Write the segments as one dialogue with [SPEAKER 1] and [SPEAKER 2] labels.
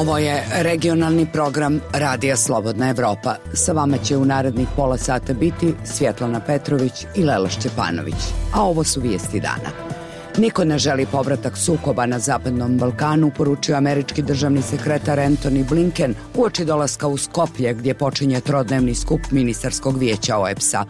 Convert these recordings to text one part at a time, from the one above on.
[SPEAKER 1] Ovo je regionalni program Radija Slobodna Evropa. Sa vama će u narednih pola sata biti Svjetlana Petrović i Lela Šćepanović. A ovo su vijesti dana. Niko ne želi povratak sukoba na Zapadnom Balkanu, poručio američki državni sekretar Antony Blinken uoči dolaska u Skoplje, gdje počinje trodnevni skup ministarskog vijeća OEBS-a.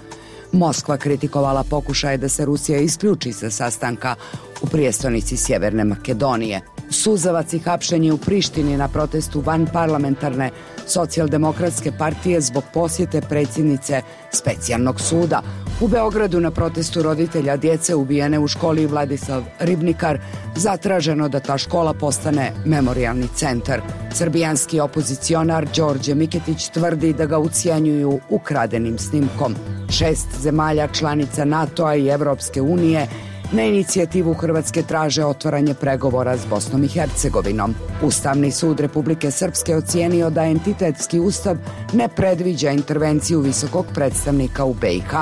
[SPEAKER 1] Moskva kritikovala pokušaje da se Rusija isključi sa sastanka u prijestolnici Sjeverne Makedonije. Suzavac i hapšenje u Prištini na protestu vanparlamentarne socijaldemokratske partije zbog posjete predsjednice specijalnog suda. U Beogradu na protestu roditelja djece ubijene u školi Vladislav Ribnikar zatraženo da ta škola postane memorijalni centar. Srbijanski opozicionar Đorđe Miketić tvrdi da ga ucijenjuju ukradenim snimkom. 6 zemalja članica NATO-a i Evropske unije na inicijativu Hrvatske traže otvaranje pregovora s Bosnom i Hercegovinom. Ustavni sud Republike Srpske ocijenio da entitetski ustav ne predviđa intervenciju visokog predstavnika u BiH.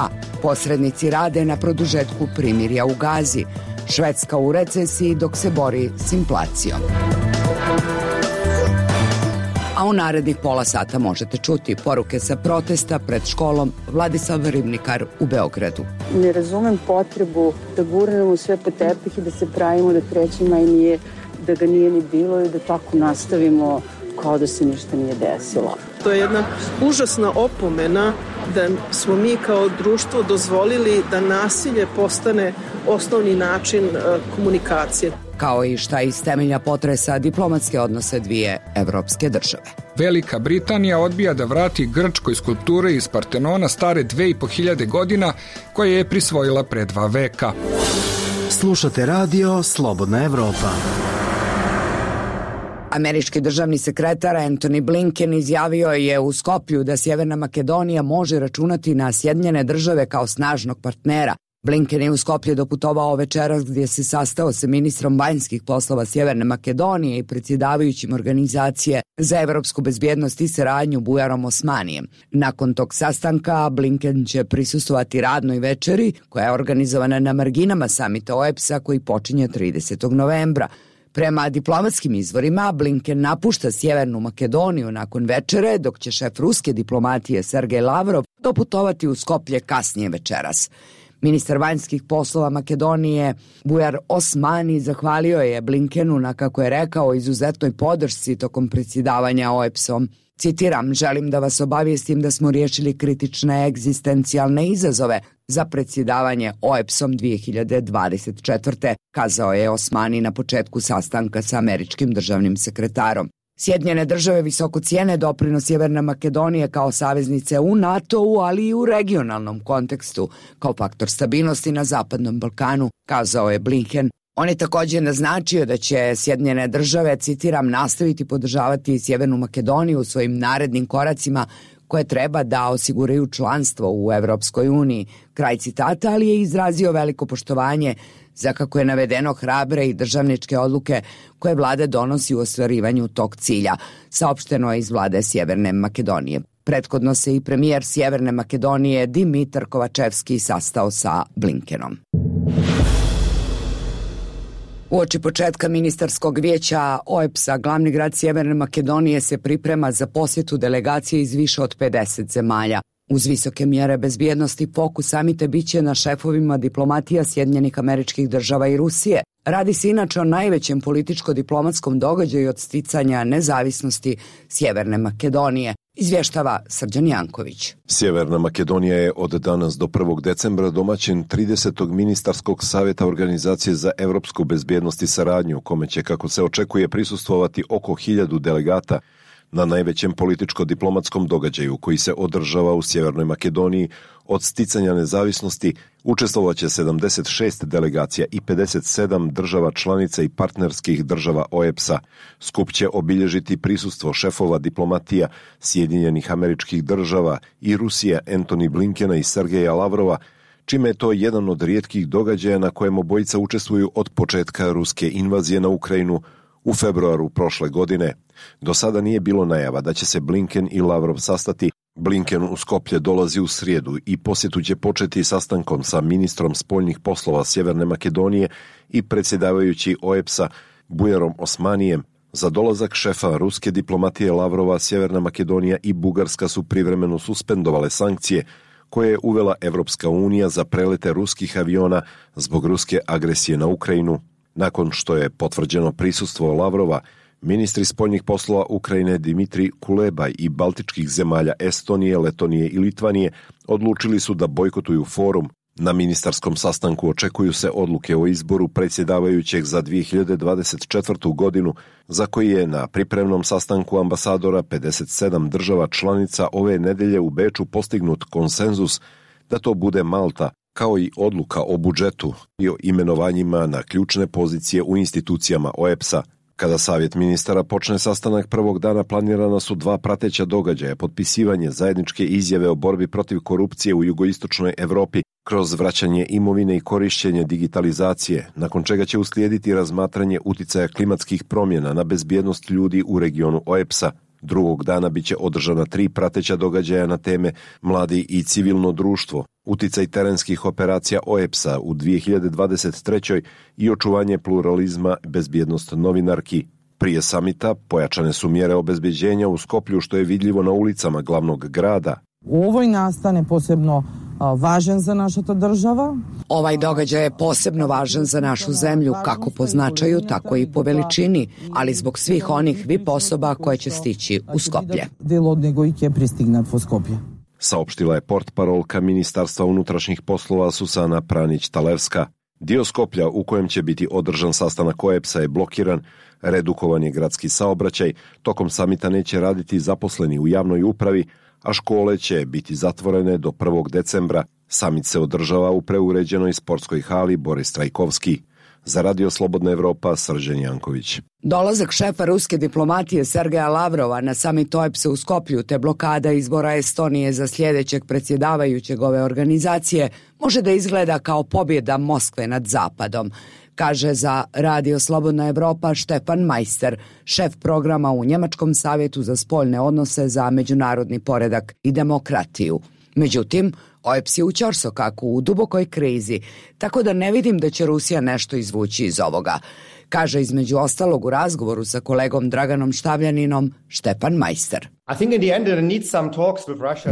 [SPEAKER 1] Posrednici rade na produžetku primirja u Gazi. Švedska u recesiji dok se bori s inflacijom. A u narednih pola sata možete čuti poruke sa protesta pred školom Vladislav Ribnikar u Beogradu.
[SPEAKER 2] Ne razumem potrebu da gurnemo sve po tepih i da se pravimo da 3. maj nije, da ga nije ni bilo i da tako nastavimo kao da se ništa nije desilo.
[SPEAKER 3] To je jedna užasna opomena da smo mi kao društvo dozvolili da nasilje postane osnovni način komunikacije.
[SPEAKER 1] Kao i šta iz temelja potresa diplomatske odnose dvije evropske države.
[SPEAKER 4] Velika Britanija odbija da vrati Grčkoj skulpture iz Partenona stare 2500 godina koje je prisvojila pre 2 veka.
[SPEAKER 5] Slušate radio Slobodna Evropa.
[SPEAKER 1] Američki državni sekretar Antony Blinken izjavio je u Skoplju da Sjeverna Makedonija može računati na Sjedinjene države kao snažnog partnera. Blinken je u Skoplje doputovao večeras gdje se sastao sa ministrom vanjskih poslova Sjeverne Makedonije i predsjedavajućim organizacije za evropsku bezbjednost i saradnju Bujarom Osmanijem. Nakon tog sastanka Blinken će prisustvovati radnoj večeri koja je organizovana na marginama samita OEBS-a koji počinje 30. novembra. Prema diplomatskim izvorima, Blinken napušta Sjevernu Makedoniju nakon večere, dok će šef ruske diplomatije Sergej Lavrov doputovati u Skoplje kasnije večeras. Ministar vanjskih poslova Makedonije Bujar Osmani zahvalio je Blinkenu na, kako je rekao, izuzetnoj podršci tokom predsjedavanja OEBS-om. Citiram, želim da vas obavijestim da smo riješili kritične egzistencijalne izazove za predsjedavanje OEBS-om 2024. kazao je Osmani na početku sastanka sa američkim državnim sekretarom. Sjedinjene države visoko cijene doprinos Sjeverne Makedonije kao saveznice u NATO-u, ali i u regionalnom kontekstu, kao faktor stabilnosti na Zapadnom Balkanu, kazao je Blinken. On je također naznačio da će Sjedinjene države, citiram, nastaviti podržavati Sjevernu Makedoniju u svojim narednim koracima koje treba da osiguraju članstvo u Evropskoj uniji. Kraj citata, ali je izrazio veliko poštovanje za, kako je navedeno, hrabre i državničke odluke koje vlada donosi u ostvarivanju tog cilja, saopšteno je iz vlade Sjeverne Makedonije. Prethodno se i premijer Sjeverne Makedonije Dimitar Kovačevski sastao sa Blinkenom. Uoči početka ministarskog vijeća OEBS-a, glavni grad Sjeverne Makedonije se priprema za posjetu delegacije iz više od 50 zemalja. Uz visoke mjere bezbjednosti fokus samita biće na šefovima diplomatija Sjedinjenih Američkih Država i Rusije. Radi se inače o najvećem političko-diplomatskom događaju od sticanja nezavisnosti Sjeverne Makedonije, izvještava Srđan Janković.
[SPEAKER 6] Sjeverna Makedonija je od danas do 1. decembra domaćin 30. ministarskog savjeta Organizacije za evropsku bezbjednost i saradnju, u kome će, kako se očekuje, prisustvovati oko 1000 delegata. Na najvećem političko-diplomatskom događaju koji se održava u Sjevernoj Makedoniji od sticanja nezavisnosti učestvovaće 76 delegacija i 57 država članica i partnerskih država OEBS-a. Skup će obilježiti prisustvo šefova diplomatija Sjedinjenih Američkih Država i Rusije Antony Blinkena i Sergeja Lavrova, čime je to jedan od rijetkih događaja na kojem obojica učestvuju od početka ruske invazije na Ukrajinu u februaru prošle godine. Do sada nije bilo najava da će se Blinken i Lavrov sastati. Blinken u Skoplje dolazi u srijedu i posjetu će početi sastankom sa ministrom spoljnih poslova Sjeverne Makedonije i predsjedavajući OEBS-a Bujarom Osmanijem, Za dolazak šefa ruske diplomatije Lavrova, Sjeverna Makedonija i Bugarska su privremeno suspendovale sankcije koje je uvela Evropska unija za prelete ruskih aviona zbog ruske agresije na Ukrajinu. Nakon što je potvrđeno prisustvo Lavrova, ministri spoljnih poslova Ukrajine Dimitrij Kuleba i baltičkih zemalja Estonije, Letonije i Litvanije odlučili su da bojkotuju forum. Na ministarskom sastanku očekuju se odluke o izboru predsjedavajućeg za 2024. godinu, za koji je na pripremnom sastanku ambasadora 57 država članica ove nedelje u Beču postignut konsenzus da to bude Malta, kao i odluka o budžetu i o imenovanjima na ključne pozicije u institucijama OEBS-a. Kada Savjet ministara počne sastanak prvog dana, planirana su 2 prateća događaja: potpisivanje zajedničke izjave o borbi protiv korupcije u jugoistočnoj Evropi kroz vraćanje imovine i korišćenje digitalizacije, nakon čega će uslijediti razmatranje uticaja klimatskih promjena na bezbjednost ljudi u regionu OEBS-a. Drugog dana biće održana 3 prateća događaja na teme mladi i civilno društvo, uticaj terenskih operacija OEBS-a u 2023. i očuvanje pluralizma, bezbjednost novinarki. Prije samita pojačane su mjere obezbeđenja u Skoplju, što je vidljivo na ulicama glavnog grada.
[SPEAKER 7] U ovoj nastane posebno važan za naša država.
[SPEAKER 1] Ovaj događaj je posebno važan za našu zemlju, kako po značaju, tako i po veličini, ali zbog svih onih VIP osoba koje će stići u Skoplje.
[SPEAKER 6] Saopštila je portparolka Ministarstva unutrašnjih poslova Susana Pranić-Talevska. Dio Skoplja u kojem će biti održan sastanak OEBS-a je blokiran, redukovan je gradski saobraćaj, tokom samita neće raditi zaposleni u javnoj upravi, a škole će biti zatvorene do 1. decembra. Samit se održava u preuređenoj sportskoj hali Boris Trajkovski. Za Radio Slobodna Evropa, Srđan Janković.
[SPEAKER 1] Dolazak šefa ruske diplomatije Sergeja Lavrova na samit OEBS-a u Skoplju te blokada izbora Estonije za sljedećeg predsjedavajućeg ove organizacije može da izgleda kao pobjeda Moskve nad Zapadom, kaže za Radio Slobodna Evropa Štefan Majster, šef programa u Njemačkom savjetu za spoljne odnose za međunarodni poredak i demokratiju. Međutim, OEBS je u ćorsokaku, u dubokoj krizi, tako da ne vidim da će Rusija nešto izvući iz ovoga, kaže između ostalog u razgovoru sa kolegom Draganom Štavljaninom Štefan Majster.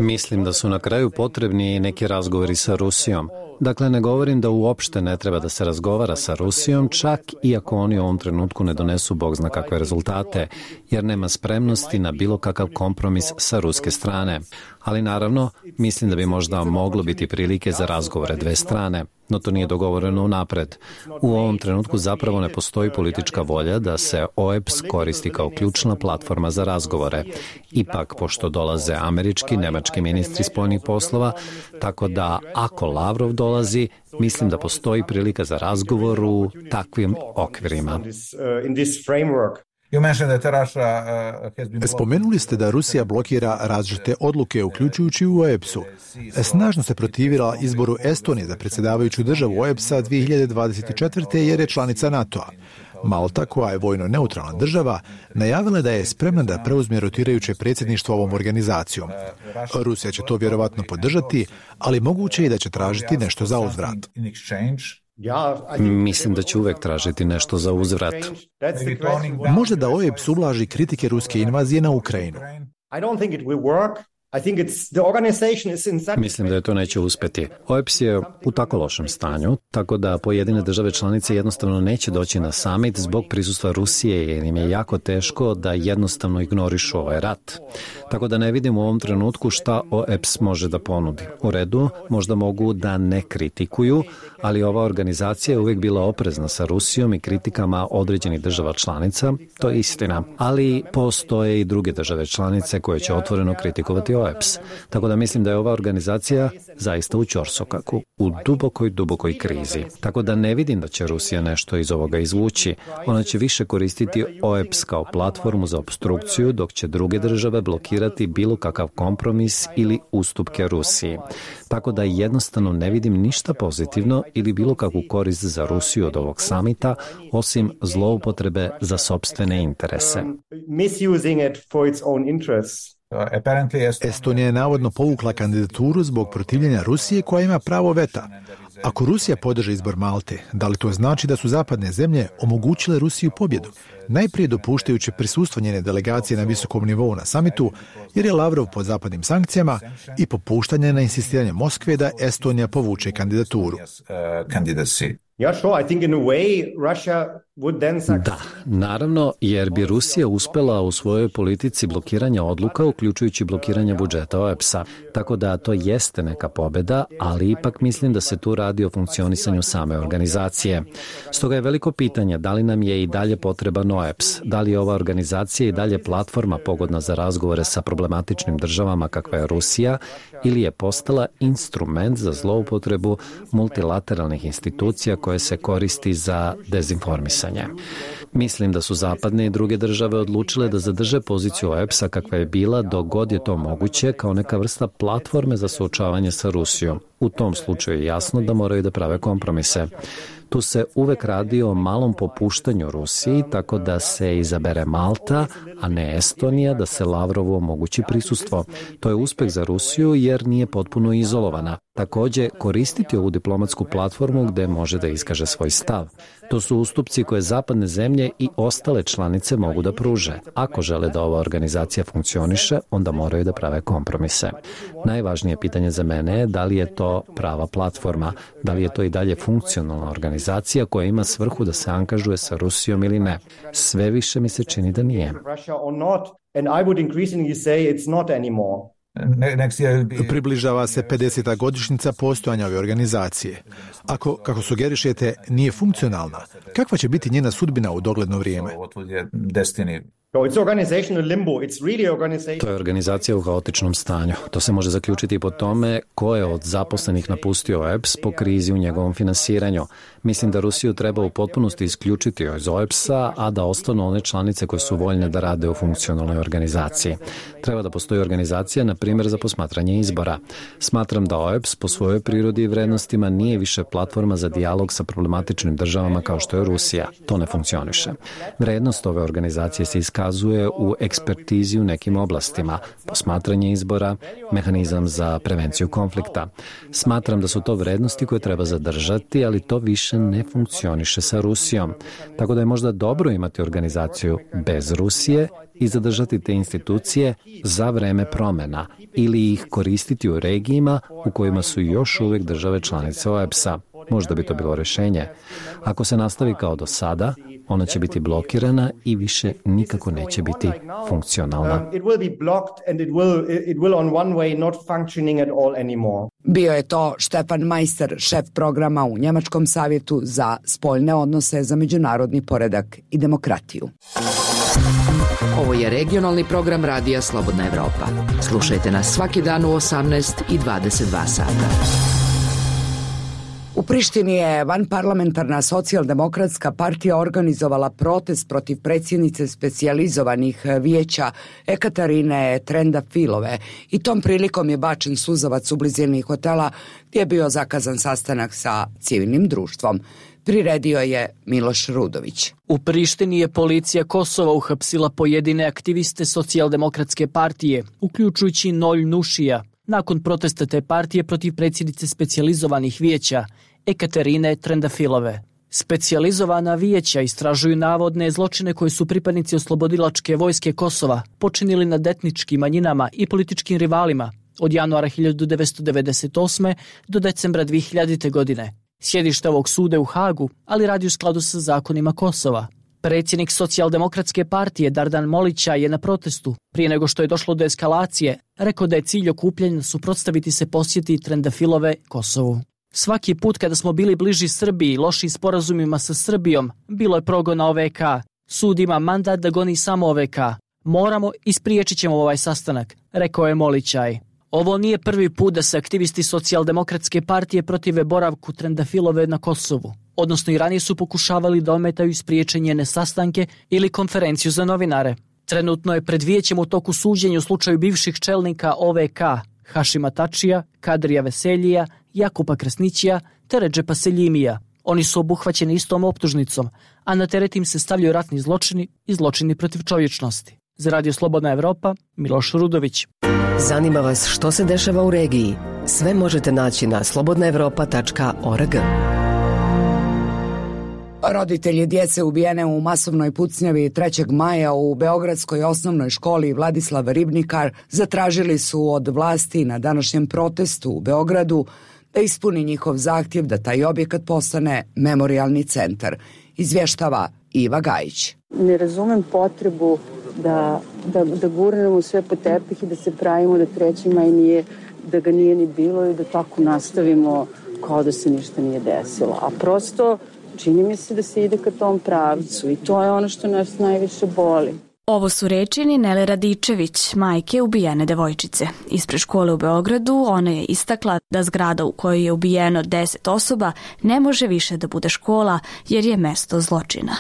[SPEAKER 8] Mislim da su na kraju potrebni neki razgovori sa Rusijom. Dakle, ne govorim da uopšte ne treba da se razgovara sa Rusijom, čak iako oni u ovom trenutku ne donesu bog zna kakve rezultate, jer nema spremnosti na bilo kakav kompromis sa ruske strane. Ali naravno, mislim da bi možda moglo biti prilike za razgovore dve strane, no to nije dogovoreno unapred. U ovom trenutku zapravo ne postoji politička volja da se OEBS koristi kao ključna platforma za razgovore. Ipak, pošto dolaze američki, nemački ministri spoljnih poslova, tako da ako Lavrov dolazi, mislim da postoji prilika za razgovor u takvim okvirima.
[SPEAKER 9] Spomenuli ste da Rusija blokira različite odluke, uključujući u OEBS-u. Snažno se protivila izboru Estonije za predsjedavajuću državu OEBS-a 2024. jer je članica NATO-a. Malta, koja je vojno neutralna država, najavila da je spremna da preuzme rotirajuće predsjedništvo ovom organizacijom. Rusija će to vjerovatno podržati, ali moguće je da će tražiti nešto za uzvrat.
[SPEAKER 8] Mislim da će uvek tražiti nešto za uzvrat.
[SPEAKER 9] Možda da OEBS ublaži kritike ruske invazije na Ukrajinu.
[SPEAKER 8] Mislim da je to neće uspjeti. OEBS je u tako lošem stanju, tako da pojedine države članice jednostavno neće doći na summit zbog prisustva Rusije, jer im je jako teško da jednostavno ignorišu ovaj rat. Tako da ne vidim u ovom trenutku šta OEBS može da ponudi. U redu, možda mogu da ne kritikuju, ali ova organizacija je uvijek bila oprezna sa Rusijom i kritikama određenih država članica, to je istina. Ali postoje i druge države članice koje će otvoreno kritikovati OEBS. Tako da mislim da je ova organizacija zaista u ćorsokaku, u dubokoj krizi. Tako da ne vidim da će Rusija nešto iz ovoga izvući. Ona će više koristiti OEBS kao platformu za opstrukciju, dok će druge države blokirati bilo kakav kompromis ili ustupke Rusiji. Tako da jednostavno ne vidim ništa pozitivno ili bilo kakvu korist za Rusiju od ovog samita, osim zloupotrebe za sopstvene interese.
[SPEAKER 9] Estonija je navodno povukla kandidaturu zbog protivljenja Rusije koja ima pravo veta. Ako Rusija podrži izbor Malte, da li to znači da su zapadne zemlje omogućile Rusiju pobjedu? najprije dopuštajući prisustvo njene delegacije na visokom nivou na samitu, jer je Lavrov pod zapadnim sankcijama, i popuštanje na insistiranje Moskve da Estonija povuče kandidaturu.
[SPEAKER 8] Da, naravno, jer bi Rusija uspela u svojoj politici blokiranja odluka, uključujući blokiranje budžeta OEBS-a. Tako da to jeste neka pobeda, ali ipak mislim da se tu radi o funkcionisanju same organizacije. Stoga je veliko pitanje da li nam je i dalje potreban OEBS, da li je ova organizacija i dalje platforma pogodna za razgovore sa problematičnim državama kakva je Rusija, ili je postala instrument za zloupotrebu multilateralnih institucija koje se koristi za dezinformisanje. Mislim da su zapadne i druge države odlučile da zadrže poziciju OEBS-a kakva je bila dok god je to moguće kao neka vrsta platforme za suočavanje sa Rusijom. U tom slučaju je jasno da moraju da prave kompromise. Tu se uvek radi o malom popuštanju Rusiji, tako da se izabere Malta, a ne Estonija, da se Lavrovu omogući prisustvo. To je uspeh za Rusiju jer nije potpuno izolovana. Takođe, koristiti ovu diplomatsku platformu gde može da iskaže svoj stav. To su ustupci koje zapadne zemlje i ostale članice mogu da pruže. Ako žele da ova organizacija funkcioniše, onda moraju da prave kompromise. Najvažnije pitanje za mene je da li je to prava platforma, da li je to i dalje funkcionalna organizacija koja ima svrhu da se angažuje sa Rusijom ili ne. Sve više mi se čini da nije.
[SPEAKER 9] Približava se 50. godišnjica postojanja ove organizacije. Ako, kako sugerišete, nije funkcionalna, kakva će biti njena sudbina u dogledno vrijeme?
[SPEAKER 8] To je organizacija u haotičnom stanju. To se može zaključiti po tome ko je od zaposlenih napustio OEBS po krizi u njegovom finansiranju. Mislim da Rusiju treba u potpunosti isključiti iz OEBS-a, a da ostanu one članice koje su voljne da rade u funkcionalnoj organizaciji. Treba da postoji organizacija, na primjer, za posmatranje izbora. Smatram da OEBS po svojoj prirodi i vrednostima nije više platforma za dijalog sa problematičnim državama kao što je Rusija. To ne funkcioniše. Vrednost ove organizacije se iskazuje u ekspertizi u nekim oblastima, posmatranje izbora, mehanizam za prevenciju konflikta. Smatram da su to vrednosti koje treba zadržati, ali to više ne funkcioniše sa Rusijom. Tako da je možda dobro imati organizaciju bez Rusije i zadržati te institucije za vreme promena ili ih koristiti u regijima u kojima su još uvijek države članice OEBS-a. Možda bi to bilo rješenje. Ako se nastavi kao do sada, ona će biti blokirana i više nikako neće biti funkcionalna.
[SPEAKER 1] Bio je to Stefan Meister, šef programa u Njemačkom savjetu za spoljne odnose za međunarodni poredak i demokratiju.
[SPEAKER 10] Ovo je regionalni program Radija Slobodna Evropa. Slušajte nas svaki dan u 18 i 22 sata.
[SPEAKER 1] U Prištini je vanparlamentarna socijaldemokratska partija organizovala protest protiv predsjednice specijalizovanih vijeća Ekaterine Trendafilove i tom prilikom je bačen suzavac u blizini hotela gdje je bio zakazan sastanak sa civilnim društvom. Priredio je Miloš Rudović.
[SPEAKER 11] U Prištini je policija Kosova uhapsila pojedine aktiviste socijaldemokratske partije, uključujući Nolj Nušija, nakon protesta te partije protiv predsjednice specijalizovanih vijeća Ekaterine Trendafilove. Specijalizovana vijeća istražuju navodne zločine koje su pripadnici oslobodilačke vojske Kosova počinili nad etničkim manjinama i političkim rivalima od januara 1998. do decembra 2000. godine. Sjedište ovog suda je u Hagu, ali radi u skladu sa zakonima Kosova. Predsjednik socijaldemokratske partije Dardan Molića je na protestu, prije nego što je došlo do eskalacije, rekao da je cilj okupljanja suprotstaviti se posjeti Trendafilove Kosovu. Svaki put kada smo bili bliži Srbiji i lošim sporazumima sa Srbijom, bilo je progona OVK. Sud ima mandat da goni samo OVK. Moramo i spriječit ćemo ovaj sastanak, rekao je Molićaj. Ovo nije prvi put da se aktivisti socijaldemokratske partije protive boravku Trendafilove na Kosovu. Odnosno i ranije su pokušavali da ometaju spriječenje njene sastanke ili konferenciju za novinare. Trenutno je pred vijećem u toku suđenja u slučaju bivših čelnika OVK, Hašima Tačija, Kadrija Veseljija, Jakupa Kresnićija te Redžepa Seljimija. Oni su obuhvaćeni istom optužnicom, a na teret im se stavljaju ratni zločini i zločini protiv čovječnosti. Za Radio Slobodna Evropa, Miloš Rudović.
[SPEAKER 10] Zanima vas što se dešava u regiji? Sve možete naći na slobodnaevropa.org.
[SPEAKER 1] Roditelji djece ubijene u masovnoj pucnjavi 3. maja u Beogradskoj osnovnoj školi Vladislav Ribnikar zatražili su od vlasti na današnjem protestu u Beogradu da ispuni njihov zahtjev da taj objekat postane memorijalni centar, izvještava Iva Gajić.
[SPEAKER 2] Ne razumem potrebu da gurnemo sve po tepih i da se pravimo da 3. maj nije, da ga nije ni bilo i da tako nastavimo kao da se ništa nije desilo. A prosto čini mi se da se ide ka tom pravcu i to je ono što nas najviše boli.
[SPEAKER 12] Ovo su reči Ninele Radičević, majke ubijene devojčice. Ispred škole u Beogradu ona je istakla da zgrada u kojoj je ubijeno 10 osoba ne može više da bude škola jer je mesto zločina.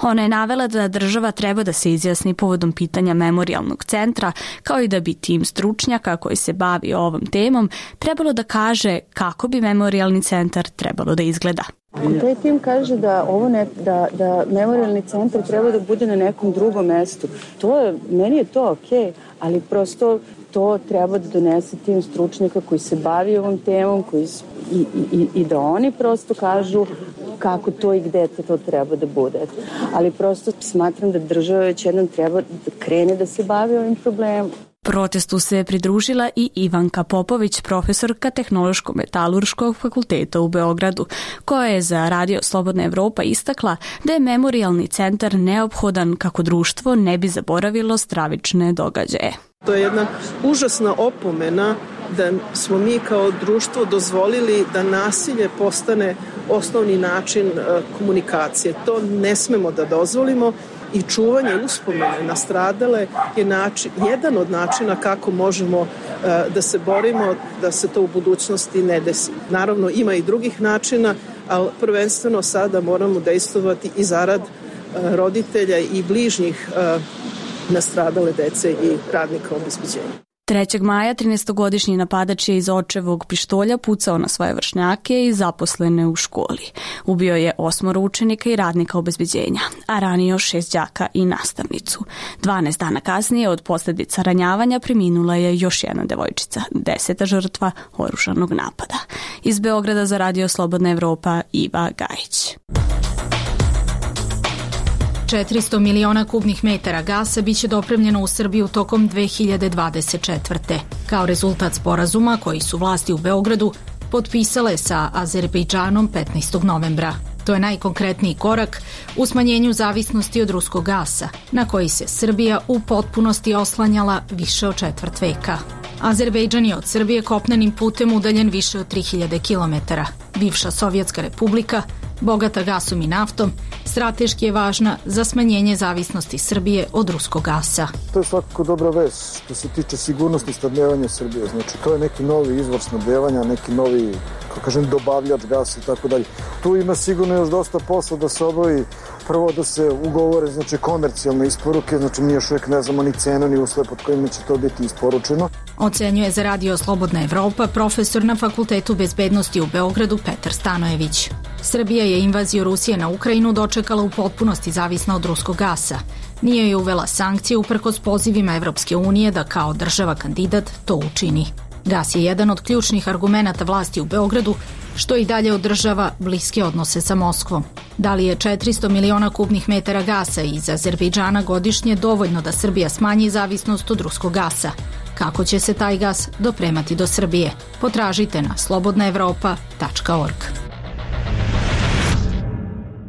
[SPEAKER 12] Ona je navela da država treba da se izjasni povodom pitanja memorijalnog centra, kao i da bi tim stručnjaka koji se bavi ovom temom trebalo da kaže kako bi memorijalni centar trebalo da izgleda.
[SPEAKER 2] Ako taj tim kaže da da memorijalni centar treba da bude na nekom drugom mestu, meni je to okej, ali prosto to treba da donese tim stručnjaka koji se bavi ovom temom i da oni prosto kažu kako to i gde to treba da bude. Ali prosto smatram da država već jednom treba da krene da se bavi ovim problemom.
[SPEAKER 12] Protestu se pridružila i Ivanka Popović, profesorka Tehnološko-metalurškog fakulteta u Beogradu, koja je za Radio Slobodna Evropa istakla da je memorijalni centar neophodan kako društvo ne bi zaboravilo stravične događaje.
[SPEAKER 3] To je jedna užasna opomena da smo mi kao društvo dozvolili da nasilje postane osnovni način komunikacije. To ne smemo da dozvolimo. I čuvanje uspomene na stradale je jedan od načina kako možemo da se borimo da se to u budućnosti ne desi. Naravno, ima i drugih načina, ali prvenstveno sada moramo dejstvovati i zarad roditelja i bližnjih nastradale dece i radnika obezbeđenja.
[SPEAKER 12] 3. maja 13-godišnji napadač je iz očevog pištolja pucao na svoje vršnjake i zaposlene u školi. Ubio je 8 učenika i radnika obezbeđenja, a ranio 6 đaka i nastavnicu. 12 dana kasnije od posljedica ranjavanja preminula je još jedna devojčica, 10. žrtva oružanog napada. Iz Beograda za Radio Slobodna Evropa, Iva Gajić.
[SPEAKER 13] 400 miliona kubnih metara gasa biće dopremljeno u Srbiju tokom 2024. Kao rezultat sporazuma koji su vlasti u Beogradu potpisale sa Azerbejdžanom 15. novembra. To je najkonkretniji korak u smanjenju zavisnosti od ruskog gasa, na koji se Srbija u potpunosti oslanjala više od četvrt veka. Azerbejdžan je od Srbije kopnenim putem udaljen više od 3000 km. Bivša Sovjetska republika, bogata gasom i naftom, strateški je važna za smanjenje zavisnosti Srbije od ruskog gasa.
[SPEAKER 14] To je svakako dobra vest što se tiče sigurnosti snabdevanja Srbije. Znači, to je neki novi izvor snabdevanja, neki novi, dobavljač gasa i tako dalje. Tu ima sigurno još dosta posla da se obavi. Prvo da se ugovore, komercijalne isporuke, mi još uvijek ne znamo ni cenu ni uslove pod kojima će to biti isporučeno.
[SPEAKER 13] Ocenjuje za Radio Slobodna Evropa profesor na Fakultetu bezbednosti u Beogradu Petar Stanojević. Srbija je invaziju Rusije na Ukrajinu dočekala u potpunosti zavisna od ruskog gasa. Nije joj uvela sankcije uprkos pozivima Evropske unije da kao država kandidat to učini. Gas je jedan od ključnih argumenata vlasti u Beogradu, što i dalje održava bliske odnose sa Moskvom. Da li je 400 miliona kubnih metara gasa iz Azerbejdžana godišnje dovoljno da Srbija smanji zavisnost od ruskog gasa? Kako će se taj gas dopremati do Srbije? Potražite na slobodnaevropa.org.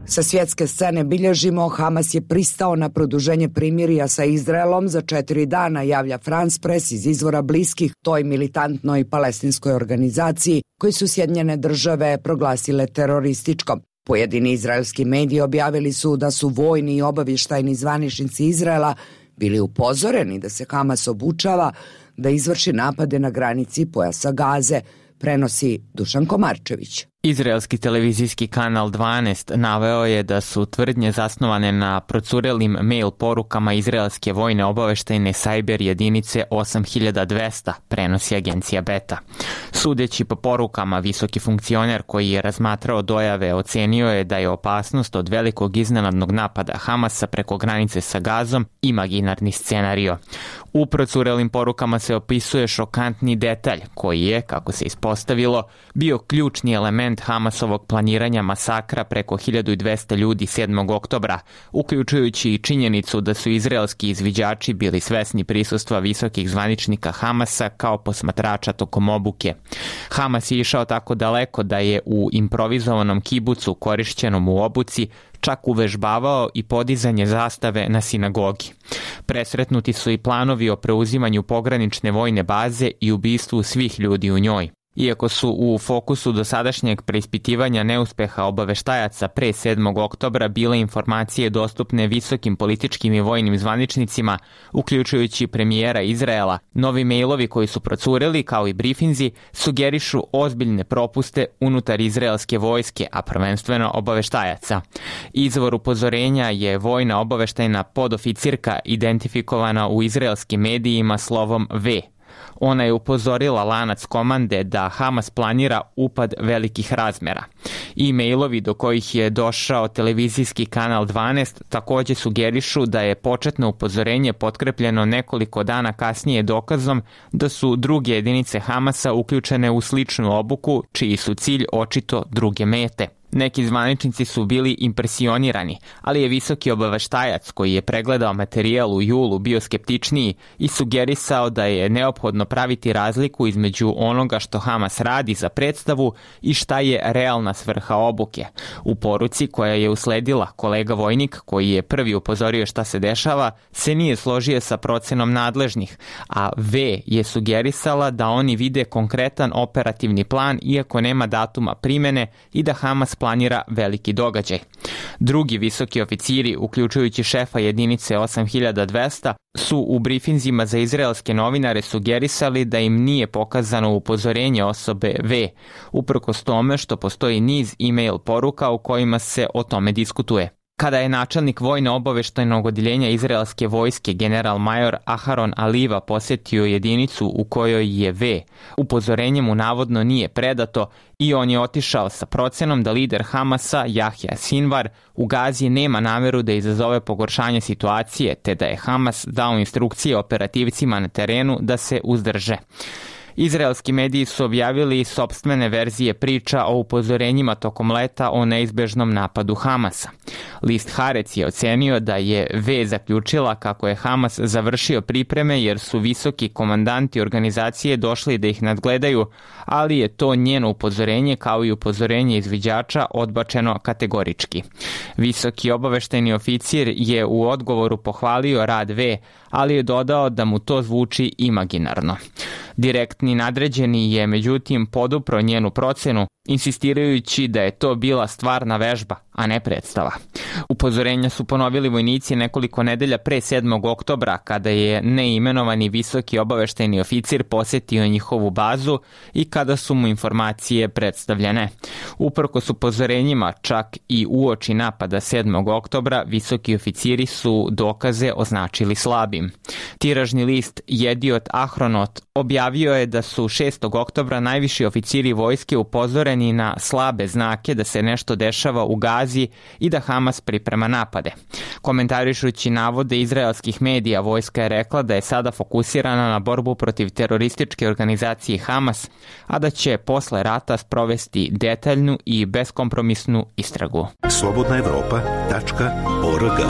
[SPEAKER 1] Sa svjetske scene bilježimo, Hamas je pristao na produženje primirja sa Izraelom za 4 dana, javlja France Press iz izvora bliskih toj militantnoj palestinskoj organizaciji koji su Sjedinjene države proglasile terorističkom. Pojedini izraelski mediji objavili su da su vojni i obavještajni zvaničnici Izraela bili upozoreni da se Hamas obučava da izvrši napade na granici pojasa Gaze, prenosi Dušan Komarčević.
[SPEAKER 15] Izraelski televizijski kanal 12 naveo je da su tvrdnje zasnovane na procurelim mail porukama izraelske vojne obaveštajne sajber jedinice 8200, prenosi agencija Beta. Sudeći po porukama, visoki funkcioner koji je razmatrao dojave ocenio je da je opasnost od velikog iznenadnog napada Hamasa preko granice sa Gazom imaginarni scenario. U procurelim porukama se opisuje šokantni detalj koji je, kako se ispostavilo, bio ključni element element Hamasovog planiranja masakra preko 1200 ljudi 7. oktobra, uključujući i činjenicu da su izraelski izviđači bili svesni prisustva visokih zvaničnika Hamasa kao posmatrača tokom obuke. Hamas je išao tako daleko da je u improvizovanom kibucu korišćenom u obuci čak uvežbavao i podizanje zastave na sinagogi. Presretnuti su i planovi o preuzimanju pogranične vojne baze i ubistvu svih ljudi u njoj. Iako su u fokusu dosadašnjeg preispitivanja neuspeha obaveštajaca pre 7. oktobra bile informacije dostupne visokim političkim i vojnim zvaničnicima, uključujući premijera Izraela, novi mejlovi koji su procureli, kao i brifinzi, sugerišu ozbiljne propuste unutar izraelske vojske, a prvenstveno obaveštajaca. Izvor upozorenja je vojna obaveštajna podoficirka identifikovana u izraelskim medijima slovom V. Ona je upozorila lanac komande da Hamas planira upad velikih razmera. E-mailovi do kojih je došao televizijski kanal 12 takođe sugerišu da je početno upozorenje potkrepljeno nekoliko dana kasnije dokazom da su druge jedinice Hamasa uključene u sličnu obuku, čiji su cilj očito druge mete. Neki zvaničnici su bili impresionirani, ali je visoki obaveštajac koji je pregledao materijal u julu bio skeptičniji i sugerisao da je neophodno praviti razliku između onoga što Hamas radi za predstavu i šta je realna svrha obuke. U poruci koja je usledila, kolega vojnik, koji je prvi upozorio šta se dešava, se nije složio sa procenom nadležnih, a V je sugerisala da oni vide konkretan operativni plan iako nema datuma primene i da Hamas planira veliki događaj. Drugi visoki oficiri, uključujući šefa jedinice 8200, su u brifinzima za izraelske novinare sugerisali da im nije pokazano upozorenje osobe V, uprkos tome što postoji niz e-mail poruka u kojima se o tome diskutuje. Kada je načelnik vojno-obaveštajnog odjeljenja izraelske vojske general major Aharon Aliva posjetio jedinicu u kojoj je V, upozorenje mu navodno nije predato i on je otišao sa procenom da lider Hamasa Jahja Sinvar u Gazi nema nameru da izazove pogoršanje situacije, te da je Hamas dao instrukcije operativcima na terenu da se uzdrže. Izraelski mediji su objavili sopstvene verzije priča o upozorenjima tokom leta o neizbežnom napadu Hamasa. List Haaretz je ocenio da je V zaključila kako je Hamas završio pripreme jer su visoki komandanti organizacije došli da ih nadgledaju, ali je to njeno upozorenje kao i upozorenje izviđača odbačeno kategorički. Visoki obaveštajni oficir je u odgovoru pohvalio rad V, ali je dodao da mu to zvuči imaginarno. Direktni nadređeni je međutim podupro njenu procenu, insistirajući da je to bila stvarna vežba, a ne predstava. Upozorenja su ponovili vojnici nekoliko nedelja pre 7. oktobra, kada je neimenovani visoki obaveštajni oficir posjetio njihovu bazu i kada su mu informacije predstavljene. Uprkos upozorenjima, čak i uoči napada 7. oktobra, visoki oficiri su dokaze označili slabim. Tiražni list Jediot Ahronot objavio je da su 6. oktobra najviši oficiri vojske upozoreni na slabe znake da se nešto dešava u Gazi i da Hamas priprema napade. Komentarišući navode izraelskih medija, vojska je rekla da je sada fokusirana na borbu protiv terorističke organizacije Hamas, a da će posle rata sprovesti detaljnu i beskompromisnu istragu.
[SPEAKER 1] slobodnaevropa.org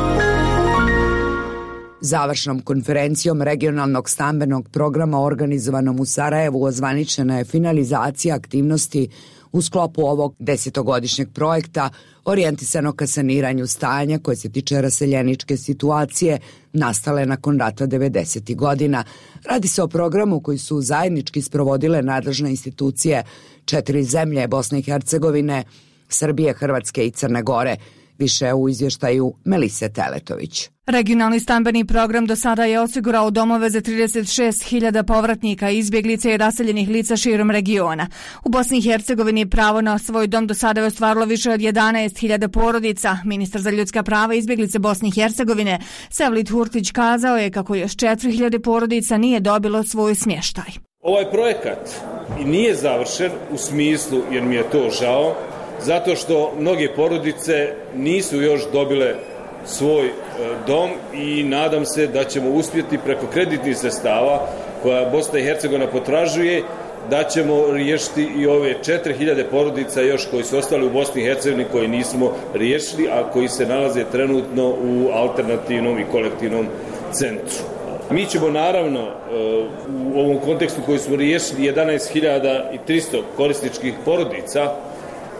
[SPEAKER 1] Završnom konferencijom regionalnog stambenog programa organizovanom u Sarajevu ozvaničena je finalizacija aktivnosti u sklopu ovog 10-godišnjeg projekta orijentisanog ka saniranju stanja koje se tiče raseljeničke situacije nastale nakon rata 90. godina. Radi se o programu koji su zajednički sprovodile nadležne institucije 4 zemlje Bosne i Hercegovine, Srbije, Hrvatske i Crne Gore. Više u izvještaju Melise Teletović.
[SPEAKER 16] Regionalni stambeni program do sada je osigurao domove za 36.000 povratnika, izbjeglica i raseljenih lica širom regiona. U Bosni i Hercegovini pravo na svoj dom do sada je ostvarilo više od 11.000 porodica. Ministar za ljudska prava i izbjeglice Bosne i Hercegovine Sevlit Hurtić kazao je kako još 4.000 porodica nije dobilo svoj smještaj.
[SPEAKER 17] Ovaj projekat nije završen u smislu, jer mi je to žao, zato što mnoge porodice nisu još dobile svoj dom i nadam se da ćemo uspjeti preko kreditnih sredstava koja Bosna i Hercegovina potražuje da ćemo riješiti i ove 4000 porodica još koji su ostali u Bosni i Hercegovini koji nismo riješili, a koji se nalaze trenutno u alternativnom i kolektivnom centru. Mi ćemo naravno u ovom kontekstu koji smo riješili 11.300 korisničkih porodica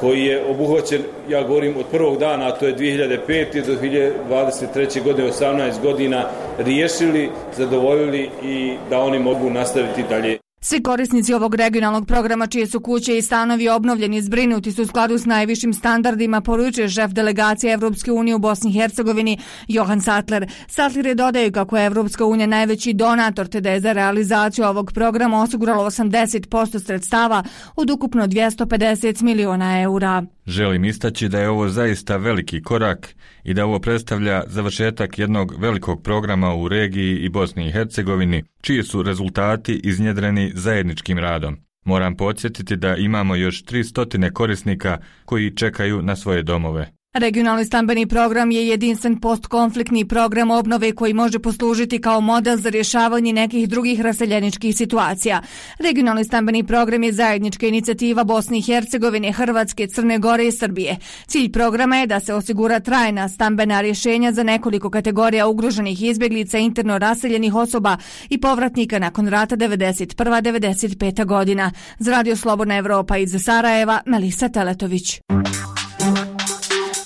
[SPEAKER 17] koji je obuhvaćen, ja govorim od prvog dana, a to je 2005. do 2023. godine, 18 godina, riješili, zadovoljili i da oni mogu nastaviti dalje.
[SPEAKER 16] Svi korisnici ovog regionalnog programa čije su kuće i stanovi obnovljeni i zbrinuti su u skladu s najvišim standardima, poručuje šef delegacije Evropske unije u Bosni i Hercegovini Johan Sattler. Sattler je dodao kako je Evropska unija najveći donator, te da je za realizaciju ovog programa osiguralo 80% sredstava od ukupno 250 miliona eura.
[SPEAKER 18] Želim istaći da je ovo zaista veliki korak i da ovo predstavlja završetak jednog velikog programa u regiji i Bosni i Hercegovini, čiji su rezultati iznjedreni zajedničkim radom. Moram podsjetiti da imamo još 300 korisnika koji čekaju na svoje domove.
[SPEAKER 16] Regionalni stambeni program je jedinstven postkonfliktni program obnove koji može poslužiti kao model za rješavanje nekih drugih raseljeničkih situacija. Regionalni stambeni program je zajednička inicijativa Bosne i Hercegovine, Hrvatske, Crne Gore i Srbije. Cilj programa je da se osigura trajna stambena rješenja za nekoliko kategorija ugroženih izbjeglica, interno raseljenih osoba i povratnika nakon rata 91-95 godina. Za Radio Slobodna Evropa iz Sarajeva, Melisa Teletović.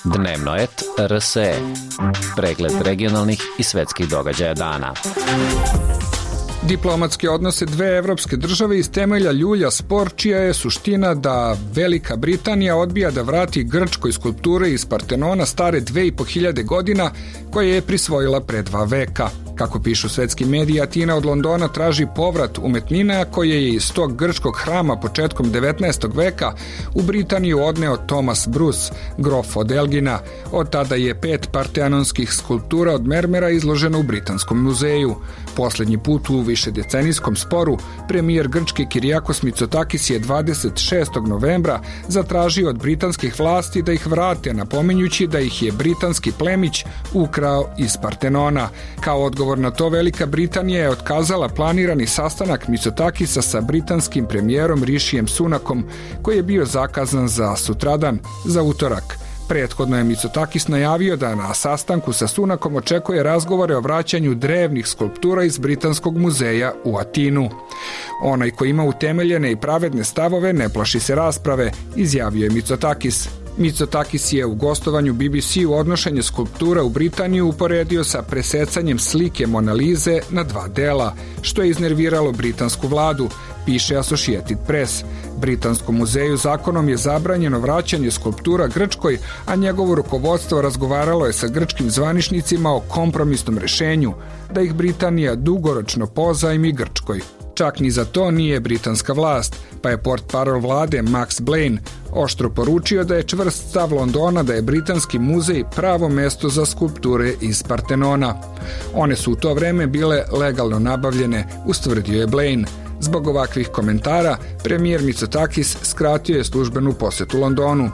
[SPEAKER 8] Dnevno et RSE. Pregled regionalnih i svetskih događaja dana.
[SPEAKER 4] Diplomatske odnose dve evropske države iz temelja ljulja spor čija je suština da Velika Britanija odbija da vrati Grčkoj skulpture iz Partenona stare 2500 godina koje je prisvojila pre 2 veka. Kako pišu svetski mediji, Atina od Londona traži povrat umetnina koje je iz tog grčkog hrama početkom 19. veka u Britaniju odneo Thomas Bruce, grof od Elgina. Od tada je 5 partenonskih skulptura od mermera izloženo u Britanskom muzeju. Posljednji put u višedecenijskom sporu premijer Grčke Kyriakos Mitsotakis je 26. novembra zatražio od britanskih vlasti da ih vrate, napominjući da ih je britanski plemić ukrao iz Partenona. Kao odgovor na to Velika Britanija je otkazala planirani sastanak Mitsotakisa sa britanskim premijerom Rishijem Sunakom koji je bio zakazan za sutradan, za utorak. Prethodno je Mitsotakis najavio da na sastanku sa Sunakom očekuje razgovore o vraćanju drevnih skulptura iz Britanskog muzeja u Atinu. Onaj ko ima utemeljene i pravedne stavove ne plaši se rasprave, izjavio je Mitsotakis. Mitsotakis je u gostovanju BBC-u odnošenje skulptura u Britaniju uporedio sa presecanjem slike Mona Lise na 2 dela, što je iznerviralo britansku vladu, piše Associated Press. Britanskom muzeju zakonom je zabranjeno vraćanje skulptura Grčkoj, a njegovo rukovodstvo razgovaralo je sa grčkim zvaničnicima o kompromisnom rešenju, da ih Britanija dugoročno pozajmi Grčkoj. Čak ni za to nije britanska vlast, pa je portparol vlade Max Blaine oštro poručio da je čvrst stav Londona da je britanski muzej pravo mesto za skulpture iz Partenona. One su u to vreme bile legalno nabavljene, ustvrdio je Blaine. Zbog ovakvih komentara, premijer Mitsotakis skratio je službenu posjetu Londonu.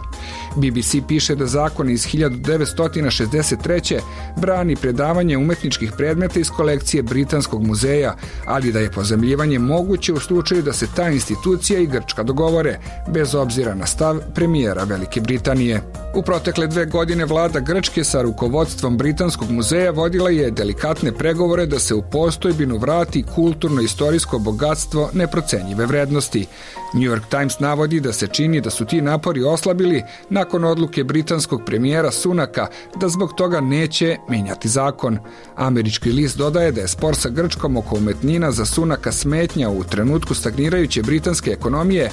[SPEAKER 4] BBC piše da zakon iz 1963. brani predavanje umetničkih predmeta iz kolekcije Britanskog muzeja, ali da je pozajmljivanje moguće u slučaju da se ta institucija i Grčka dogovore, bez obzira na stav premijera Velike Britanije. U protekle 2 godine vlada Grčke sa rukovodstvom Britanskog muzeja vodila je delikatne pregovore da se u postojbinu vrati kulturno-istorijsko bogatstvo neprocenjive vrednosti. New York Times navodi da se čini da su ti napori oslabili nakon odluke britanskog premijera Sunaka da zbog toga neće menjati zakon. Američki list dodaje da je spor sa Grčkom oko umetnina za Sunaka smetnja u trenutku stagnirajuće britanske ekonomije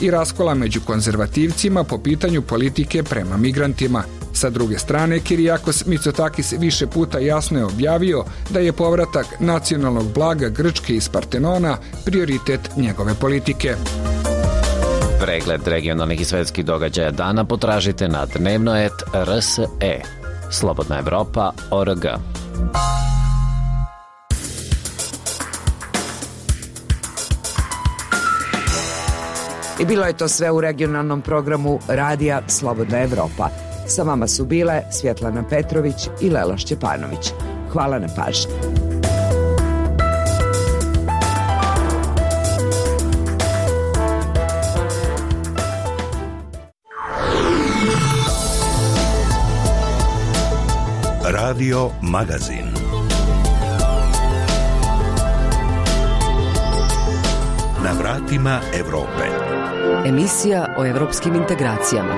[SPEAKER 4] i raskola među konzervativcima po pitanju politike prema migrantima. Sa druge strane, Kyriakos Mitsotakis više puta jasno je objavio da je povratak nacionalnog blaga Grčke iz Partenona prioritet njegove politike.
[SPEAKER 8] Pregled regionalnih i svetskih događaja dana potražite na dnevnoet.rse. Slobodna Evropa.org.
[SPEAKER 1] I bilo je to sve u regionalnom programu Radija Slobodna Evropa. Sa vama su bile Svjetlana Petrović i Lela Šćepanović. Hvala na pažnji.
[SPEAKER 19] Radio Magazin. Na vratima Evrope.
[SPEAKER 20] Emisija o evropskim integracijama.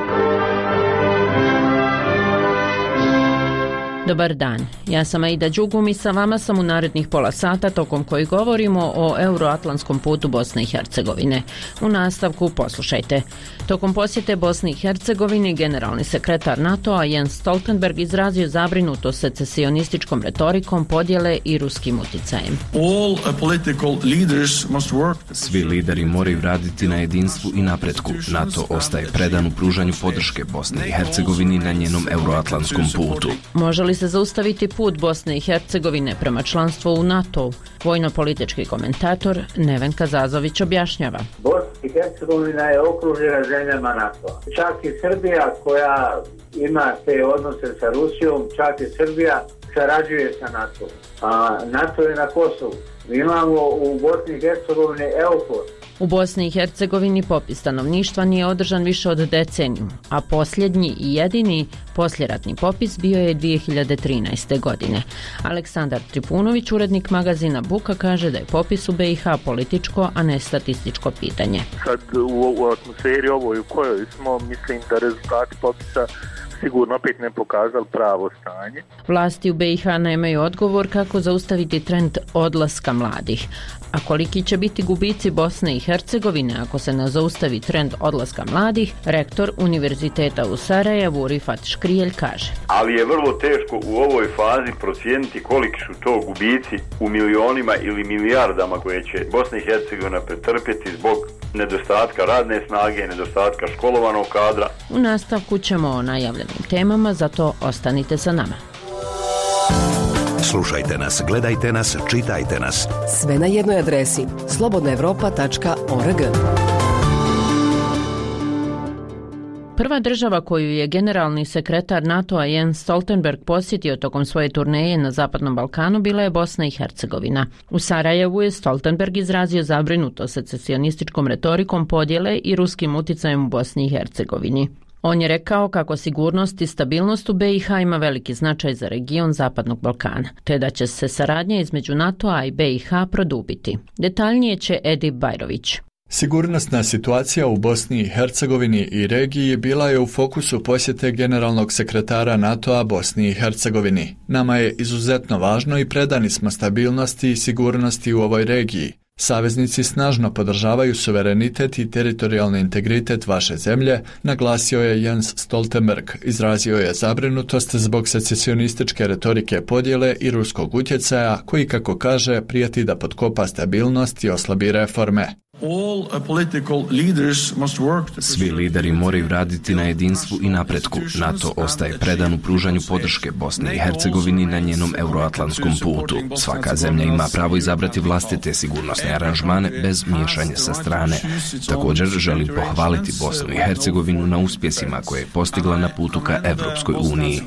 [SPEAKER 21] Dobar dan, ja sam Aida Đugum i sa vama sam u narednih pola sata tokom koji govorimo o euroatlantskom putu Bosne i Hercegovine. U nastavku poslušajte. Tokom posjete Bosni i Hercegovini generalni sekretar NATO-a Jens Stoltenberg izrazio zabrinutost secesionističkom retorikom podjele i ruskim uticajem.
[SPEAKER 22] Svi lideri moraju raditi na jedinstvu i napretku. NATO ostaje predan u pružanju podrške Bosni i Hercegovini na njenom euroatlantskom putu.
[SPEAKER 21] Može li se zaustaviti put Bosne i Hercegovine prema članstvu u NATO? Vojno-politički komentator Neven Kazazović objašnjava.
[SPEAKER 23] Bosna i Hercegovina je okružena zemljama NATO. Čak i Srbija koja ima te odnose sa Rusijom, čak i Srbija sarađuje sa NATO. A NATO je na Kosovu. Mi imamo u Bosni i Hercegovini EUFOR.
[SPEAKER 21] U Bosni i Hercegovini popis stanovništva nije održan više od deceniju, a posljednji i jedini posljeratni popis bio je 2013. godine. Aleksandar Tripunović, urednik magazina Buka, kaže da je popis u BiH političko, a ne statističko pitanje.
[SPEAKER 24] Sad u atmosferi ovoj u kojoj smo, mislim da rezultati popisa sigurno opet ne pokazali pravo stanje.
[SPEAKER 21] Vlasti u BiH nemaju odgovor kako zaustaviti trend odlaska mladih. A koliki će biti gubici Bosne i Hercegovine ako se ne zaustavi trend odlaska mladih, rektor Univerziteta u Sarajevu Rifat Škrijelj kaže.
[SPEAKER 25] Ali je vrlo teško u ovoj fazi procijeniti koliki su to gubici u milionima ili milijardama koje će Bosna i Hercegovina pretrpjeti zbog nedostatka radne snage, nedostatka školovanog kadra.
[SPEAKER 21] U nastavku ćemo o najavljenim temama, zato ostanite sa nama.
[SPEAKER 19] Slušajte nas, gledajte nas, čitajte nas.
[SPEAKER 20] Sve na jednoj adresi slobodnaevropa.org.
[SPEAKER 21] Prva država koju je generalni sekretar NATO-a Jens Stoltenberg posjetio tokom svoje turneje na Zapadnom Balkanu bila je Bosna i Hercegovina. U Sarajevu je Stoltenberg izrazio zabrinutost secesionističkom retorikom podjele i ruskim uticajem u Bosni i Hercegovini. On je rekao kako sigurnost i stabilnost u BiH ima veliki značaj za region Zapadnog Balkana, te da će se saradnja između NATO-a i BiH produbiti. Detaljnije će Edi Bajrović.
[SPEAKER 26] Sigurnosna situacija u Bosni i Hercegovini i regiji bila je u fokusu posjete generalnog sekretara NATO-a Bosni i Hercegovini. Nama je izuzetno važno i predani smo stabilnosti i sigurnosti u ovoj regiji. Saveznici snažno podržavaju suverenitet i teritorijalni integritet vaše zemlje, naglasio je Jens Stoltenberg. Izrazio je zabrinutost zbog secesionističke retorike podjele i ruskog utjecaja, koji, kako kaže, prijeti da potkopa stabilnost i oslabi reforme.
[SPEAKER 22] Svi lideri moraju raditi na jedinstvu i napretku. NATO ostaje predan u pružanju podrške Bosni i Hercegovini na njenom euroatlantskom putu. Svaka zemlja ima pravo izabrati vlastite sigurnosne aranžmane bez miješanja sa strane. Također želim pohvaliti Bosnu i Hercegovinu na uspjesima koje je postigla na putu ka Evropskoj uniji.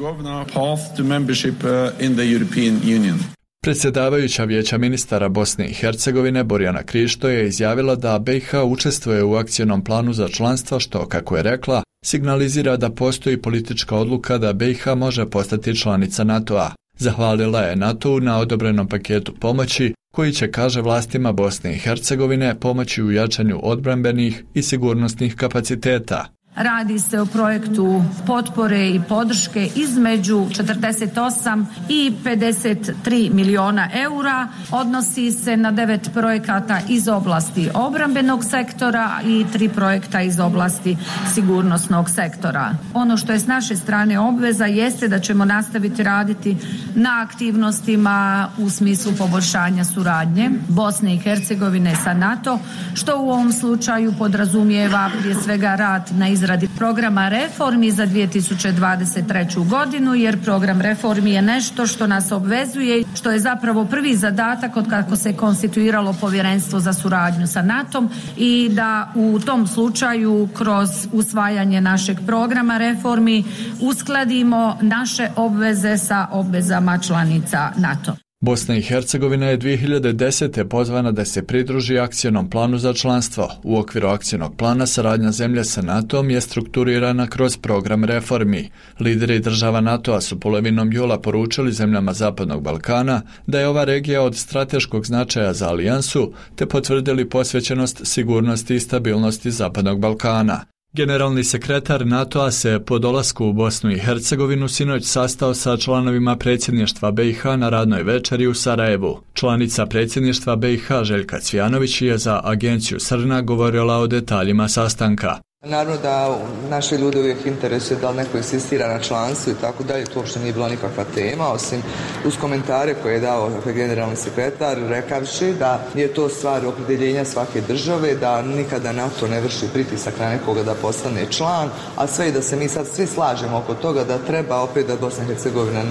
[SPEAKER 26] Predsjedavajuća vijeća ministara Bosne i Hercegovine Borjana Krišto je izjavila da BiH učestvuje u akcijnom planu za članstvo što, kako je rekla, signalizira da postoji politička odluka da BiH može postati članica NATO-a. Zahvalila je NATO-u na odobrenom paketu pomoći koji će, kaže vlastima Bosne i Hercegovine, pomoći u jačanju odbrambenih i sigurnosnih kapaciteta.
[SPEAKER 27] Radi se o projektu potpore i podrške između 48 i 53 milijuna eura. Odnosi se na 9 projekata iz oblasti obrambenog sektora i 3 projekta iz oblasti sigurnosnog sektora. Ono što je s naše strane obveza jeste da ćemo nastaviti raditi na aktivnostima u smislu poboljšanja suradnje Bosne i Hercegovine sa NATO, što u ovom slučaju podrazumijeva prije svega rad na izradi programa reformi za 2023. godinu, jer program reformi je nešto što nas obvezuje, što je zapravo prvi zadatak od kako se konstituiralo povjerenstvo za suradnju sa NATO-om i da u tom slučaju kroz usvajanje našeg programa reformi uskladimo naše obveze sa obvezama članica NATO.
[SPEAKER 26] Bosna i Hercegovina je 2010. pozvana da se pridruži akcionom planu za članstvo. U okviru akcionog plana saradnja zemlje sa NATO-om je strukturirana kroz program reformi. Lideri država NATO-a su polovinom jula poručili zemljama Zapadnog Balkana da je ova regija od strateškog značaja za alijansu, te potvrdili posvećenost sigurnosti i stabilnosti Zapadnog Balkana. Generalni sekretar NATO-a se po dolasku u Bosnu i Hercegovinu sinoć sastao sa članovima predsjedništva BiH na radnoj večeri u Sarajevu. Članica predsjedništva BiH Željka Cvijanović je za agenciju Srna govorila o detaljima sastanka.
[SPEAKER 2] Naravno da naše ljude uvijek interesuje da li neko insistira na članstvu i tako dalje, to uopšte nije bila nikakva tema, osim uz komentare koje je dao generalni sekretar, rekavši da je to stvar opredjeljenja svake države, da nikada NATO ne vrši pritisak na nekoga da postane član, a sve i da se mi sad svi slažemo oko toga da treba opet da Bosna i Hercegovina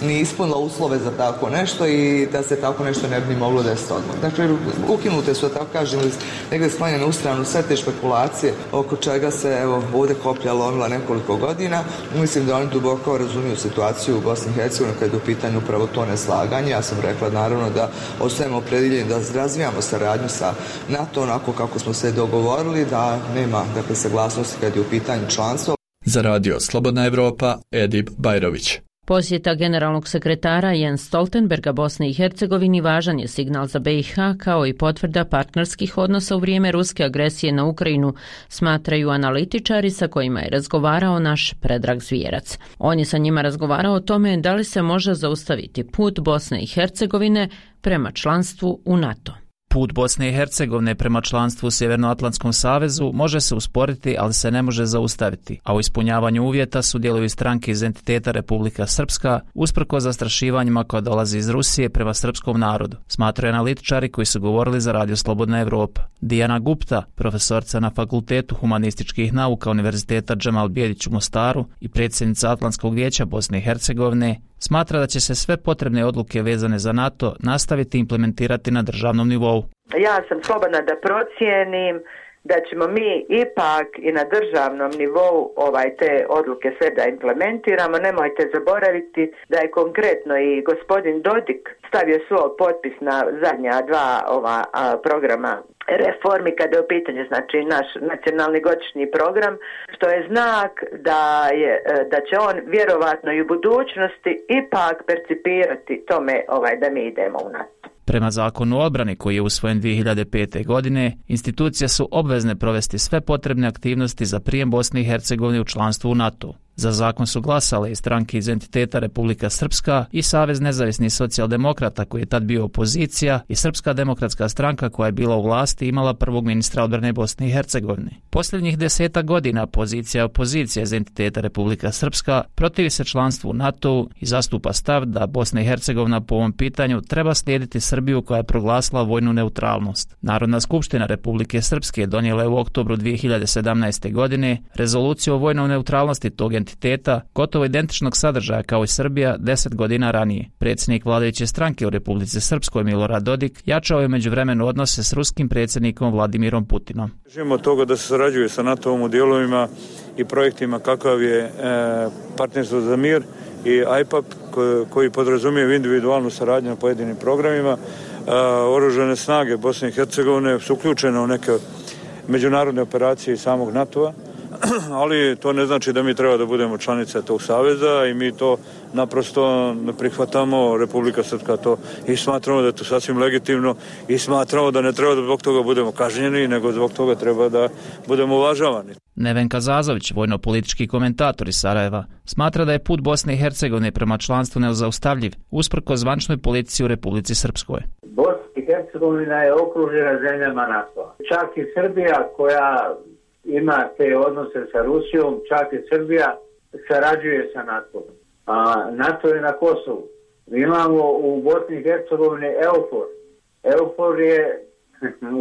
[SPEAKER 2] nije ispunila uslove za tako nešto i da se tako nešto ne bi moglo desiti odmah. Dakle, ukinute su, da tako kažem, negdje smanjene u stranu sve te špekulacije oko čega se ovdje koplja lomila nekoliko godina. Mislim da oni duboko razumiju situaciju u Bosni i Hercegovini kad je u pitanju upravo to neslaganje. Ja sam rekla naravno da ostajemo opredjeljeni da razvijamo saradnju sa NATO onako kako smo se dogovorili, da nema saglasnosti kad je u pitanju članstvo.
[SPEAKER 26] Za radio Slobodna Evropa, Edip Bajrović.
[SPEAKER 21] Posjeta generalnog sekretara Jens Stoltenberga Bosne i Hercegovini važan je signal za BiH kao i potvrda partnerskih odnosa u vrijeme ruske agresije na Ukrajinu, smatraju analitičari sa kojima je razgovarao naš Predrag Zvijerac. On je sa njima razgovarao o tome da li se može zaustaviti put Bosne i Hercegovine prema članstvu u NATO.
[SPEAKER 5] Put Bosne i Hercegovine prema članstvu u Sjevernoatlantskom savezu može se usporiti, ali se ne može zaustaviti, a u ispunjavanju uvjeta sudjeluju stranke iz entiteta Republika Srpska, usprkos zastrašivanjima koja dolazi iz Rusije prema srpskom narodu, smatraju analitičari koji su govorili za radio Slobodna Evropa. Dijana Gupta, profesorca na Fakultetu humanističkih nauka Univerziteta Džemal Bijedić u Mostaru i predsjednica Atlantskog vijeća Bosne i Hercegovine, smatra da će se sve potrebne odluke vezane za NATO nastaviti implementirati na državnom nivou.
[SPEAKER 6] Ja sam slobodna da procijenim da ćemo mi ipak i na državnom nivou te odluke sve da implementiramo. Nemojte zaboraviti da je konkretno i gospodin Dodik stavio svoj potpis na zadnja dva programa reformi kada je u pitanju naš nacionalni godišnji program, što je znak da će on vjerovatno i u budućnosti ipak percipirati tome da mi idemo u NATO.
[SPEAKER 5] Prema zakonu o odbrani koji je usvojen 2005. godine, institucije su obvezne provesti sve potrebne aktivnosti za prijem Bosne i Hercegovine u članstvo u NATO. Za zakon su glasale i stranke iz entiteta Republika Srpska i Savez nezavisnih socijaldemokrata koji je tad bio opozicija i Srpska demokratska stranka koja je bila u vlasti i imala prvog ministra odbrane Bosne i Hercegovine. Posljednjih 10 godina pozicija opozicija iz entiteta Republika Srpska protivi se članstvu u NATO i zastupa stav da Bosna i Hercegovina po ovom pitanju treba slijediti Srbiju koja je proglasila vojnu neutralnost. Narodna skupština Republike Srpske donijela je u oktobru 2017. godine rezoluciju o vojnoj neutralnosti tog entiteta, gotovo identičnog sadržaja kao i Srbija 10 godina ranije. Predsjednik vladajuće stranke u Republici Srpskoj Milorad Dodik jačao je međuvremenu odnose s ruskim predsjednikom Vladimirom Putinom.
[SPEAKER 7] Želimo toga da se sarađuje sa NATO-om u dijelovima i projektima kakav je partnerstvo za mir i IPAP koji podrazumije individualnu saradnju na pojedinim programima. Oružane snage Bosne i Hercegovine su uključene u neke međunarodne operacije samog NATO-a, ali to ne znači da mi treba da budemo članice tog saveza i mi to naprosto ne prihvatamo. Republika Srpska to i smatramo da je to sasvim legitimno i smatramo da ne treba da zbog toga budemo kažnjeni, nego zbog toga treba da budemo uvažavani.
[SPEAKER 5] Nevenka Zazović, vojno-politički komentator iz Sarajeva, smatra da je put Bosne i Hercegovine prema članstvu nezaustavljiv, usprkos zvančnoj politici u Republici Srpskoj.
[SPEAKER 23] Bosna i Hercegovina je okružena zemljama NATO. Čak i Srbija koja ima te odnose sa Rusijom, čak i Srbija sarađuje sa NATO. A NATO je na Kosovu. Mi imamo u Bosni i Hercegovini EUFOR. EUFOR je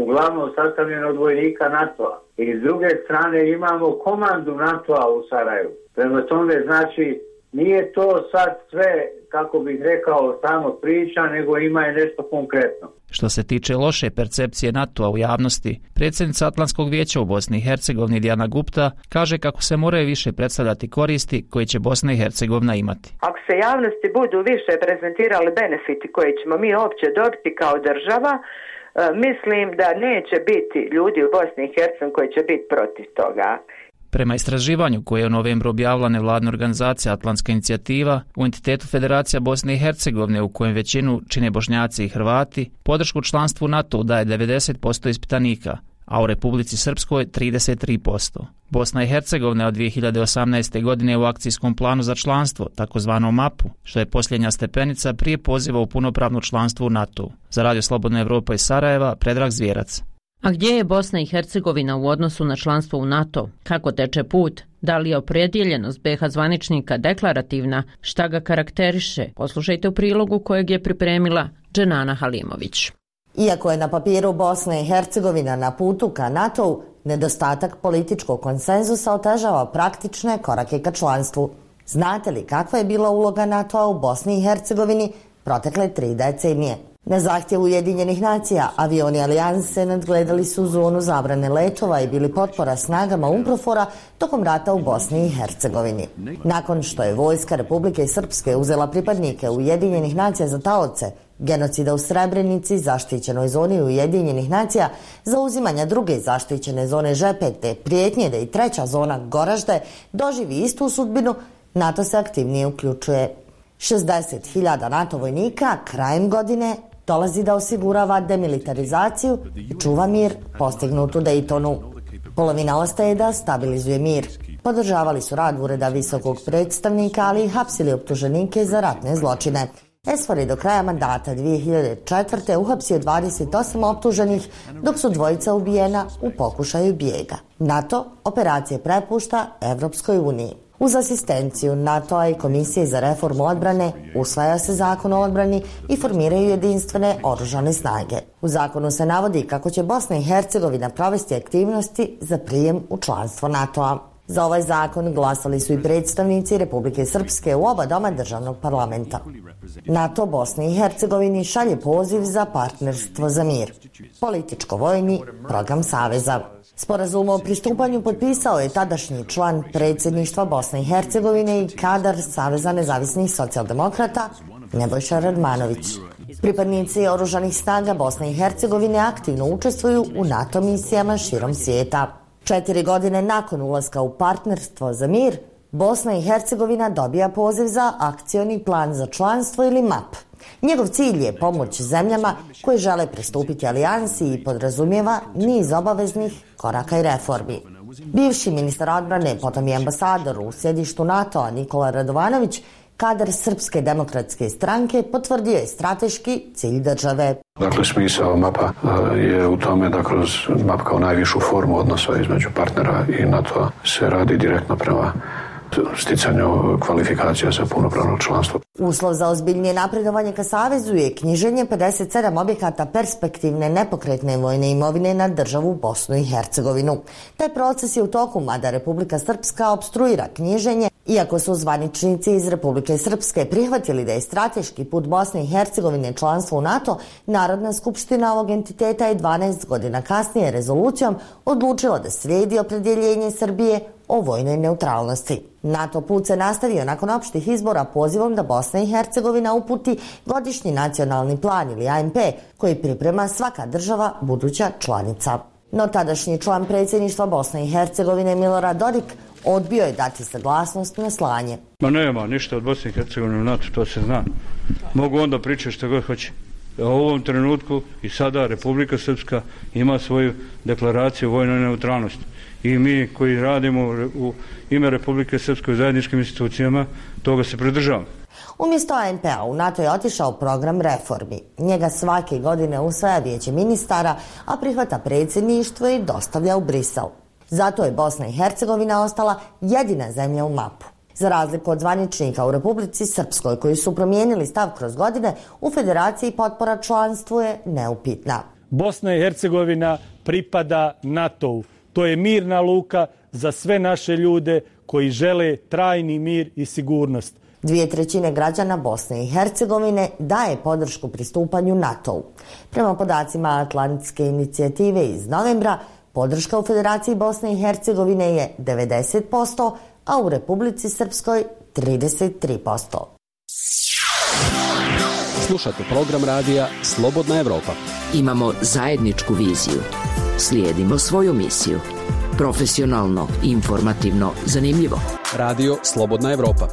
[SPEAKER 23] uglavnom sastavljen od vojnika NATO-a. I s druge strane imamo komandu NATO-a u Sarajevu. Prema tome, znači, nije to sad sve kako bih rekao, samo priča, nego ima je nešto konkretno.
[SPEAKER 5] Što se tiče loše percepcije NATO-a u javnosti, predsjednica Atlantskog vijeća u Bosni i Hercegovini Dijana Gupta kaže kako se moraju više predstavljati koristi koje će Bosna i Hercegovina imati.
[SPEAKER 6] Ako se javnosti budu više prezentirali benefiti koje ćemo mi uopće dobiti kao država, mislim da neće biti ljudi u Bosni i Hercegovini koji će biti protiv toga.
[SPEAKER 5] Prema istraživanju koje je u novembru objavila nevladna organizacija Atlantska inicijativa, u entitetu Federacija Bosne i Hercegovine, u kojem većinu čine Bošnjaci i Hrvati, podršku članstvu NATO daje 90% ispitanika, a u Republici Srpskoj 33%. Bosna i Hercegovina od 2018. godine u akcijskom planu za članstvo, takozvanom MAP-u, što je posljednja stepenica prije poziva u punopravno članstvo u NATO. Za Radio Slobodna Evropa iz Sarajeva, Predrag Zvjerac.
[SPEAKER 21] A gdje je Bosna i Hercegovina u odnosu na članstvo u NATO? Kako teče put? Da li je opredjeljenost BiH zvaničnika deklarativna? Šta ga karakteriše? Poslušajte u prilogu kojeg je pripremila Dženana Halimović.
[SPEAKER 3] Iako je na papiru Bosna i Hercegovina na putu ka NATO-u, nedostatak političkog konsenzusa otežava praktične korake ka članstvu. Znate li kakva je bila uloga NATO-a u Bosni i Hercegovini protekle 3 decenije? Na zahtjev Ujedinjenih nacija, avioni Alijanse nadgledali su zonu zabrane letova i bili potpora snagama UNPROFOR-a tokom rata u Bosni i Hercegovini. Nakon što je vojska Republike Srpske uzela pripadnike Ujedinjenih nacija za taoce, genocida u Srebrenici, zaštićenoj zoni Ujedinjenih nacija, zauzimanja druge zaštićene zone Žepet te prijetnje da i treća zona Goražde doživi istu sudbinu, NATO se aktivnije uključuje. 60.000 NATO vojnika krajem godine dolazi da osigurava demilitarizaciju i čuva mir postignut u Dejtonu. Polovina ostaje da stabilizuje mir. Podržavali su rad ureda visokog predstavnika, ali i hapsili optuženike za ratne zločine. SFOR je do kraja mandata 2004. uhapsio 28 optuženih, dok su dvojica ubijena u pokušaju bijega. NATO operacije prepušta Evropskoj uniji. Uz asistenciju NATO-a i Komisije za reformu odbrane usvaja se zakon o odbrani i formiraju jedinstvene oružane snage. U zakonu se navodi kako će Bosna i Hercegovina provesti aktivnosti za prijem u članstvo NATO-a. Za ovaj zakon glasali su i predstavnici Republike Srpske u oba doma državnog parlamenta. NATO Bosni i Hercegovini šalje poziv za partnerstvo za mir, političko-vojni program Saveza. Sporazum o pristupanju potpisao je tadašnji član predsjedništva Bosne i Hercegovine i kadar Saveza nezavisnih socijaldemokrata Nebojša Radmanović. Pripadnici oružanih snaga Bosne i Hercegovine aktivno učestvuju u NATO misijama širom svijeta. 4 godine nakon ulaska u partnerstvo za mir, Bosna i Hercegovina dobija poziv za akcioni plan za članstvo ili MAP. Njegov cilj je pomoć zemljama koje žele pristupiti alijansi i podrazumijeva niz obaveznih koraka i reformi. Bivši ministar odbrane, potom i ambasador u sjedištu NATO-a Nikola Radovanović, kadar Srpske demokratske stranke, potvrdio je strateški cilj države.
[SPEAKER 9] Dakle, smisao MAP-a je u tome da kroz MAP kao najvišu formu odnosa između partnera i NATO-a se radi direktno prema sticanju kvalifikacija za punopravno članstvo.
[SPEAKER 3] Uslov za ozbiljnije napredovanje ka Savezu je knjiženje 57 objekata perspektivne nepokretne vojne imovine na državu Bosnu i Hercegovinu. Taj proces je u toku, mada Republika Srpska opstruira knjiženje, iako su zvaničnici iz Republike Srpske prihvatili da je strateški put Bosne i Hercegovine članstvo u NATO, Narodna skupština ovog entiteta je 12 godina kasnije rezolucijom odlučila da slijedi opredjeljenje Srbije o vojnoj neutralnosti. NATO put se nastavio nakon opštih izbora pozivom da Bosna i Hercegovina uputi godišnji nacionalni plan ili ANP koji priprema svaka država buduća članica. No tadašnji član predsjedništva Bosne i Hercegovine Milorad Dodik odbio je dati saglasnost na slanje.
[SPEAKER 7] Ma nema ništa od Bosne i Hercegovine u NATO, to se zna. Mogu onda pričati što god hoće. U ovom trenutku i sada Republika Srpska ima svoju deklaraciju o vojnoj neutralnosti. I mi koji radimo u ime Republike Srpske u zajedničkim institucijama, toga se pridržavamo.
[SPEAKER 3] Umjesto ANP-a u NATO je otišao program reformi. Njega svake godine usvaja Vijeće ministara, a prihvata predsjedništvo i dostavlja u Brisel. Zato je Bosna i Hercegovina ostala jedina zemlja u MAP-u. Za razliku od zvaničnika u Republici Srpskoj koji su promijenili stav kroz godine, u Federaciji potpora članstvu je neupitna.
[SPEAKER 10] Bosna i Hercegovina pripada NATO-u. To je mirna luka za sve naše ljude koji žele trajni mir i sigurnost.
[SPEAKER 3] 2/3 građana Bosne i Hercegovine daje podršku pristupanju NATO-u. Prema podacima Atlantske inicijative iz novembra, podrška u Federaciji Bosne i Hercegovine je 90%, a u Republici Srpskoj 33%.
[SPEAKER 11] Slušate program radija Slobodna Evropa.
[SPEAKER 20] Imamo zajedničku viziju. Slijedimo svoju misiju. Profesionalno, informativno, zanimljivo.
[SPEAKER 11] Radio Slobodna Evropa.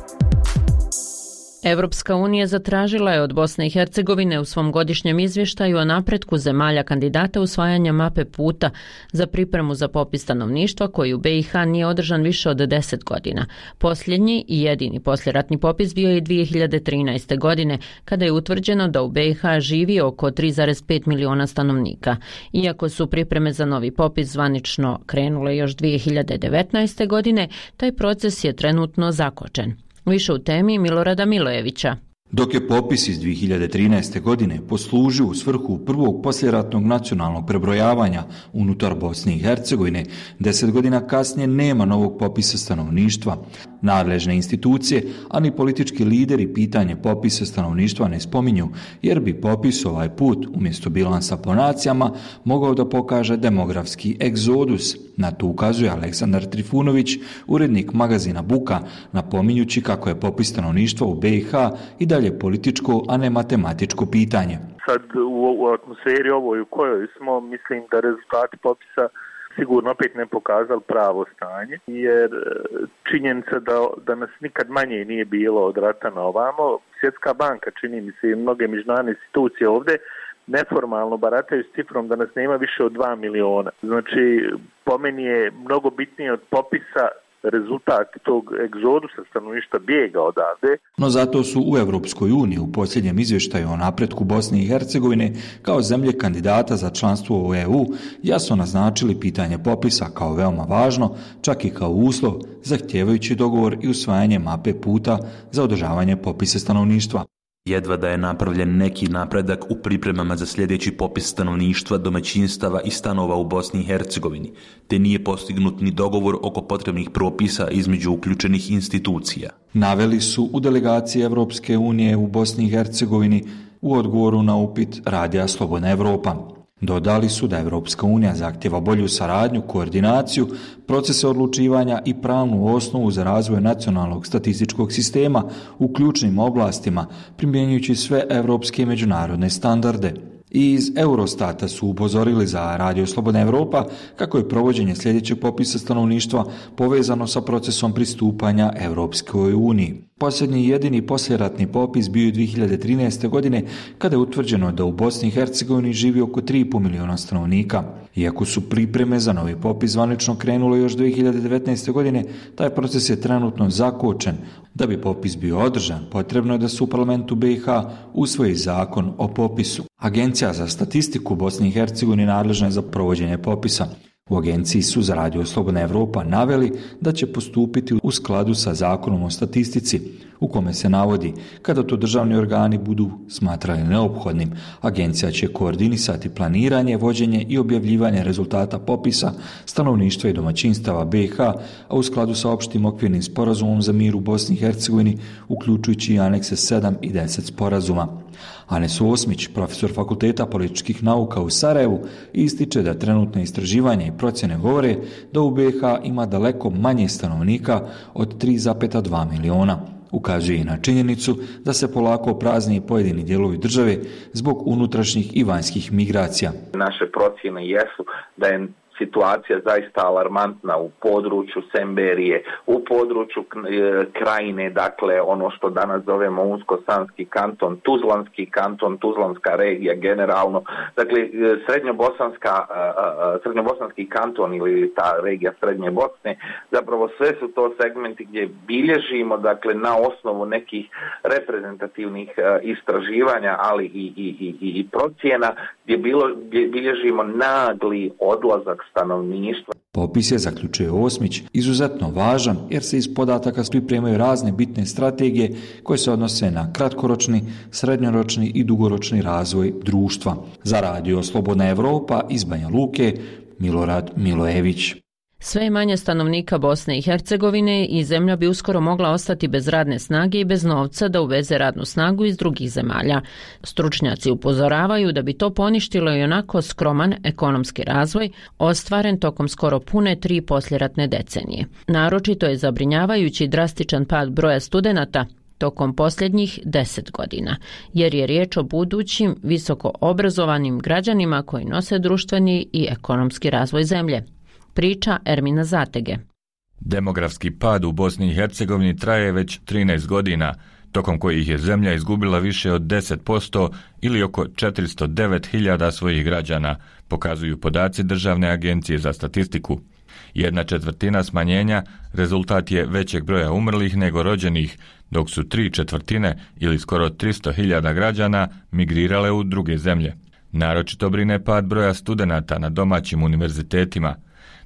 [SPEAKER 21] Evropska unija zatražila je od Bosne i Hercegovine u svom godišnjem izvještaju o napretku zemalja kandidata usvajanja mape puta za pripremu za popis stanovništva koji u BiH nije održan više od 10 godina. Posljednji i jedini posljeratni popis bio je 2013. godine, kada je utvrđeno da u BiH živi oko 3,5 miliona stanovnika. Iako su pripreme za novi popis zvanično krenule još 2019. godine, taj proces je trenutno zakočen. Više u temi Milorada Milojevića.
[SPEAKER 12] Dok je popis iz 2013. godine poslužio u svrhu prvog posljeratnog nacionalnog prebrojavanja unutar Bosne i Hercegovine, 10 godina kasnije nema novog popisa stanovništva. Nadležne institucije, a ni politički lideri pitanje popisa stanovništva ne spominju, jer bi popis ovaj put, umjesto bilansa po nacijama, mogao da pokaže demografski egzodus. Na to ukazuje Aleksandar Trifunović, urednik magazina Buka, napominjući kako je popis stanovništva u BiH i dalje političko, a ne matematičko pitanje.
[SPEAKER 24] Sad u atmosferi ovoj u kojoj smo, mislim da rezultati popisa sigurno opet ne pokazali pravo stanje, jer činjenica da nas nikad manje nije bilo od rata na ovamo. Svjetska banka, čini mi se, i mnoge međunarodne institucije ovdje neformalno barataju s cifrom da nas nema više od 2 miliona. Znači, po meni je mnogo bitnije od popisa rezultat tog egzodusa stanovništva bijega odavde.
[SPEAKER 12] No zato su u Europskoj uniji u posljednjem izvještaju o napretku Bosne i Hercegovine kao zemlje kandidata za članstvo u EU jasno naznačili pitanje popisa kao veoma važno, čak i kao uslov zahtijevajući dogovor i usvajanje mape puta za održavanje popisa stanovništva.
[SPEAKER 13] Jedva da je napravljen neki napredak u pripremama za sljedeći popis stanovništva, domaćinstava i stanova u Bosni i Hercegovini, te nije postignut ni dogovor oko potrebnih propisa između uključenih institucija.
[SPEAKER 12] Naveli su u delegaciji Evropske unije u Bosni i Hercegovini u odgovoru na upit Radija Slobodna Evropa. Dodali su da Evropska unija zahtjeva bolju saradnju, koordinaciju, procese odlučivanja i pravnu osnovu za razvoj nacionalnog statističkog sistema u ključnim oblastima, primjenjujući sve evropske i međunarodne standarde. I iz Eurostata su upozorili za Radio Slobodna Evropa kako je provođenje sljedećeg popisa stanovništva povezano sa procesom pristupanja Evropskoj uniji. Posljednji i jedini posljeratni popis bio je 2013. godine kada je utvrđeno da u Bosni i Hercegovini živi oko 3,5 miliona stanovnika. Iako su pripreme za novi popis zvanično krenule još 2019. godine, taj proces je trenutno zakočen. Da bi popis bio održan, potrebno je da se u parlamentu BiH usvoji zakon o popisu. Agencija za statistiku Bosne i Hercegovine nadležna je za provođenje popisa. U agenciji su za Radio Slobodna Evropa naveli da će postupiti u skladu sa zakonom o statistici, u kome se navodi kada to državni organi budu smatrali neophodnim, agencija će koordinisati planiranje, vođenje i objavljivanje rezultata popisa stanovništva i domaćinstava BiH, a u skladu sa opštim okvirnim sporazumom za mir u Bosni i Hercegovini, uključujući i anekse 7 i 10 sporazuma. Anes Osmić, profesor Fakulteta političkih nauka u Sarajevu, ističe da trenutne istraživanja i procjene govore da u BiH ima daleko manje stanovnika od 3,2 miliona. Ukazuje i na činjenicu da se polako prazni pojedini dijelovi države zbog unutrašnjih i vanjskih migracija.
[SPEAKER 14] Naše procjene jesu da je situacija zaista alarmantna u području Semberije, u području Krajine, dakle ono što danas zovemo Unsko-Sanski kanton, Tuzlanski kanton, Tuzlanska regija generalno, dakle srednjobosanski kanton ili ta regija Srednje Bosne, zapravo sve su to segmenti gdje bilježimo, dakle na osnovu nekih reprezentativnih istraživanja, ali i procjena, gdje bilježimo nagli odlazak stanovništva.
[SPEAKER 12] Popis je, zaključuje Osmić, izuzetno važan jer se iz podataka pripremaju razne bitne strategije koje se odnose na kratkoročni, srednjoročni i dugoročni razvoj društva. Za Radio Slobodna Evropa iz Banja Luke, Milorad Milojević.
[SPEAKER 21] Sve je manje stanovnika Bosne i Hercegovine i zemlja bi uskoro mogla ostati bez radne snage i bez novca da uveze radnu snagu iz drugih zemalja. Stručnjaci upozoravaju da bi to poništilo i onako skroman ekonomski razvoj ostvaren tokom skoro pune 3 poslijeratne decenije. Naročito je zabrinjavajući drastičan pad broja studenata tokom posljednjih 10 godina, jer je riječ o budućim visoko obrazovanim građanima koji nose društveni i ekonomski razvoj zemlje. Priča Ermina Zatege.
[SPEAKER 1] Demografski pad u Bosni i Hercegovini traje već 13 godina, tokom kojih je zemlja izgubila više od 10% ili oko 409.000 svojih građana, pokazuju podaci Državne agencije za statistiku. 1/4 smanjenja rezultat je većeg broja umrlih nego rođenih, dok su 3/4 ili skoro 300.000 građana migrirale u druge zemlje. Naročito brine pad broja studenata na domaćim univerzitetima.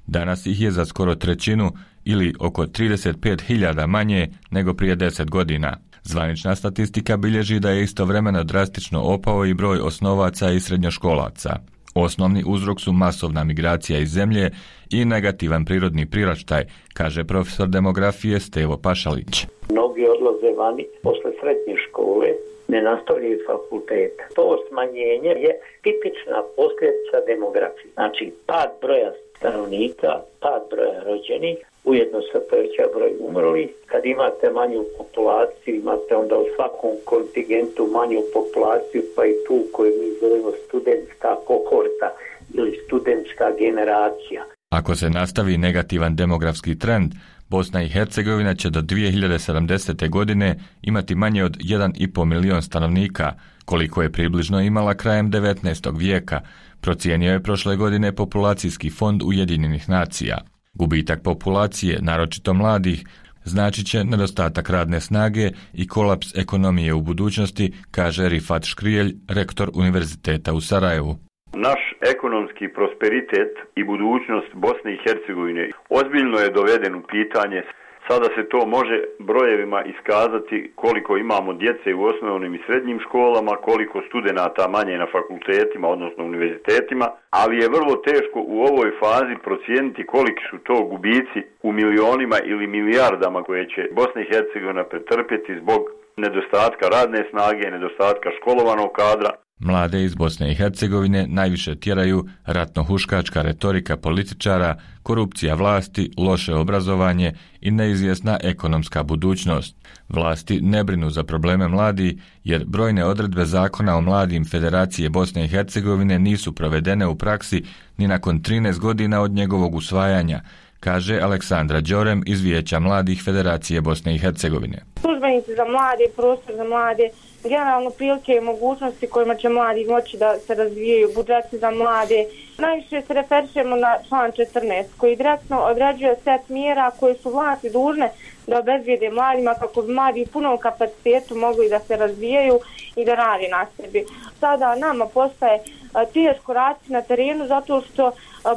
[SPEAKER 1] Danas ih je za skoro 1/3 ili oko 35.000 manje nego prije 10 godina. Zvanična statistika bilježi da je istovremeno drastično opao i broj osnovaca i srednjoškolaca. Osnovni uzrok su masovna migracija iz zemlje i negativan prirodni priraštaj, kaže profesor demografije Stevo Pašalić.
[SPEAKER 4] Mnogi odlaze vani posle srednje škole, ne nastavljaju fakultet. To smanjenje je tipična posljedica demografije. Znači, pad broja stanovnika, pad broja rođenih, ujedno se poveća broj umrlih. Kad imate manju populaciju, imate onda u svakom kontingentu manju populaciju, pa i tu koju mi zovemo studentska kohorta ili studentska generacija.
[SPEAKER 1] Ako se nastavi negativan demografski trend, Bosna i Hercegovina će do 2070. godine imati manje od 1,5 milion stanovnika, koliko je približno imala krajem 19. vijeka, procijenio je prošle godine Populacijski fond Ujedinjenih nacija. Gubitak populacije, naročito mladih, značit će nedostatak radne snage i kolaps ekonomije u budućnosti, kaže Rifat Škrijelj, rektor Univerziteta u Sarajevu.
[SPEAKER 25] Naš ekonomski prosperitet i budućnost Bosne i Hercegovine ozbiljno je doveden u pitanje. Sada se to može brojevima iskazati koliko imamo djece u osnovnim i srednjim školama, koliko studenata manje na fakultetima, odnosno univerzitetima, ali je vrlo teško u ovoj fazi procijeniti koliki su to gubici u milionima ili milijardama koje će Bosna i Hercegovina pretrpjeti zbog nedostatka radne snage, nedostatka školovanog kadra.
[SPEAKER 1] Mlade iz Bosne i Hercegovine najviše tjeraju ratno-huškačka retorika političara, korupcija vlasti, loše obrazovanje i neizvjesna ekonomska budućnost. Vlasti ne brinu za probleme mladih jer brojne odredbe zakona o mladim Federacije Bosne i Hercegovine nisu provedene u praksi ni nakon 13 godina od njegovog usvajanja, kaže Aleksandra Đorem iz Vijeća mladih Federacije Bosne i Hercegovine.
[SPEAKER 8] Službenici za mlade, prostor za mlade, generalno prilike i mogućnosti kojima će mladi moći da se razvijaju, budžeti za mlade. Najviše se referišemo na član 14 koji direktno određuje set mjera koje su vlasti dužne da obezbijede mladima kako bi mladi u punom kapacitetu mogli da se razvijaju i da radi na sebi. Sada nama postaje teško raditi na terenu zato što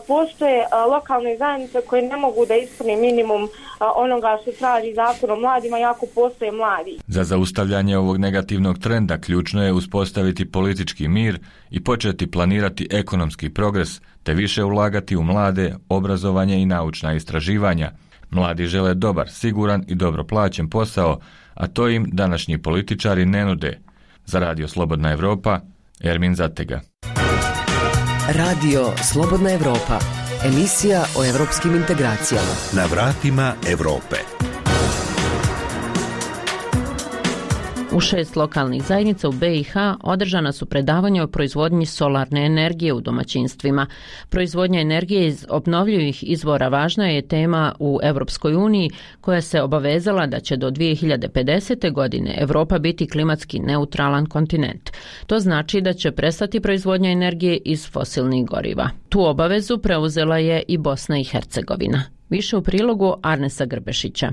[SPEAKER 8] postoje lokalne zajednice koje ne mogu da ispune minimum onoga što traži zakon o mladima, jako postoje mladi.
[SPEAKER 1] Za zaustavljanje ovog negativnog trenda ključno je uspostaviti politički mir i početi planirati ekonomski progres, te više ulagati u mlade, obrazovanje i naučna istraživanja. Mladi žele dobar, siguran i dobro plaćen posao, a to im današnji političari ne nude. Za Radio Slobodna Evropa, Ermin Zatega.
[SPEAKER 20] Radio Slobodna Evropa, emisija o evropskim integracijama.
[SPEAKER 19] Na vratima Evrope.
[SPEAKER 21] U 6 lokalnih zajednica u BiH održana su predavanja o proizvodnji solarne energije u domaćinstvima. Proizvodnja energije iz obnovljivih izvora važna je tema u Europskoj uniji koja se obavezala da će do 2050. godine Evropa biti klimatski neutralan kontinent. To znači da će prestati proizvodnja energije iz fosilnih goriva. Tu obavezu preuzela je i Bosna i Hercegovina. Više u prilogu Arnesa Grbešića.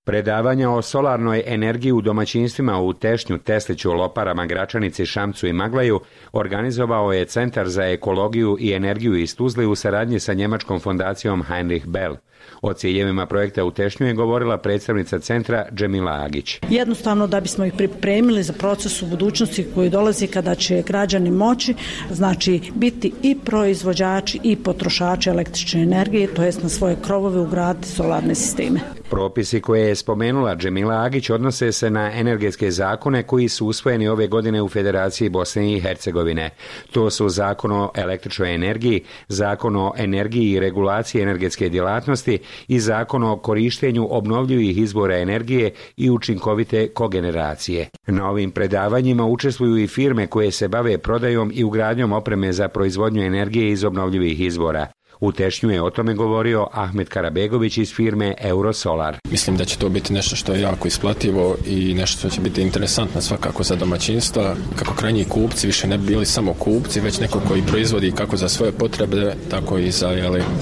[SPEAKER 15] Predavanja o solarnoj energiji u domaćinstvima u Tešnju, Tesliću, Loparama, Gračanici, Šamcu i Maglaju organizovao je Centar za ekologiju i energiju iz Tuzle u saradnji sa njemačkom fondacijom Heinrich Bell. O ciljevima projekta u Tešnju je govorila predstavnica centra Džemila Agić.
[SPEAKER 2] Jednostavno da bismo ih pripremili za proces u budućnosti koji dolazi kada će građani moći, znači biti i proizvođači i potrošači električne energije, to jest na svoje krovove ugraditi solarne sisteme.
[SPEAKER 15] Propisi koje je spomenula Džemila Agić odnose se na energetske zakone koji su usvojeni ove godine u Federaciji Bosne i Hercegovine. To su Zakon o električnoj energiji, Zakon o energiji i regulaciji energetske djelatnosti i Zakon o korištenju obnovljivih izvora energije i učinkovite kogeneracije. Na ovim predavanjima učestvuju i firme koje se bave prodajom i ugradnjom opreme za proizvodnju energije iz obnovljivih izvora. U Tešnju je o tome govorio Ahmet Karabegović iz firme Eurosolar.
[SPEAKER 16] Mislim da će to biti nešto što je jako isplativo i nešto što će biti interesantno svakako za domaćinstva, kako krajnji kupci više ne bili samo kupci, već neko koji proizvodi kako za svoje potrebe, tako i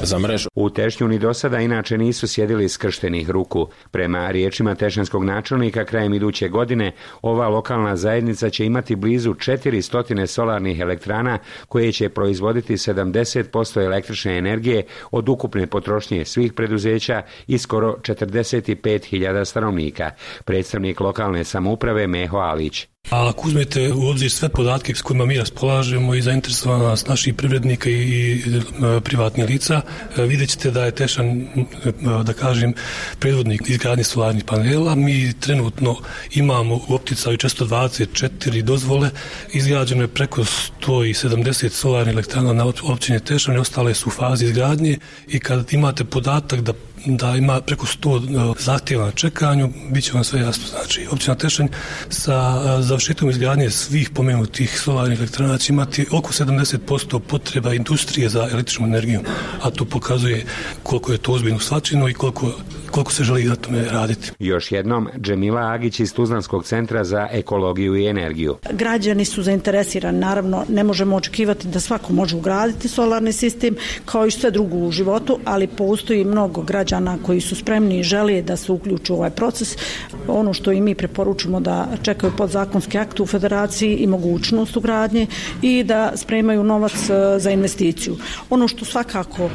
[SPEAKER 16] za mrežu.
[SPEAKER 15] U Tešnju ni do sada inače nisu sjedili skrštenih ruku. Prema riječima tešnjanskog načelnika, krajem iduće godine ova lokalna zajednica će imati blizu 400 solarnih elektrana koje će proizvoditi 70% električne energije od ukupne potrošnje svih preduzeća i skoro 45.000 stanovnika. Predstavnik lokalne samouprave Meho Alić.
[SPEAKER 17] A ako uzmete u obzir sve podatke s kojima mi raspolažemo i zainteresovanost naših privrednika i privatnih lica, vidjet ćete da je Tešan, da kažem, predvodnik izgradnje solarnih panela. Mi trenutno imamo u opticaju 424 dozvole, izgrađeno je preko 170 solarnih elektrana na općini Tešan i ostale su u fazi izgradnje i kad imate podatak da ima preko 100 zahtjeva na čekanju, bit će vam sve jasno. Znači, općina Tešanj sa završetkom izgradnje svih pomenutih solarnih elektrana će imati oko 70% potreba industrije za električnu energiju, a to pokazuje koliko je to ozbiljno shvaćeno i koliko se želi na tome raditi.
[SPEAKER 15] Još jednom, Džemila Agić iz Tuzlanskog centra za ekologiju i energiju.
[SPEAKER 2] Građani su zainteresirani, naravno ne možemo očekivati da svako može ugraditi solarni sistem kao i sve drugo u životu, ali postoji mnogo građana koji su spremni i žele da se uključu u ovaj proces. Ono što i mi preporučimo da čekaju podzakonski akt u federaciji i mogućnost ugradnje i da spremaju novac za investiciju. Ono što svakako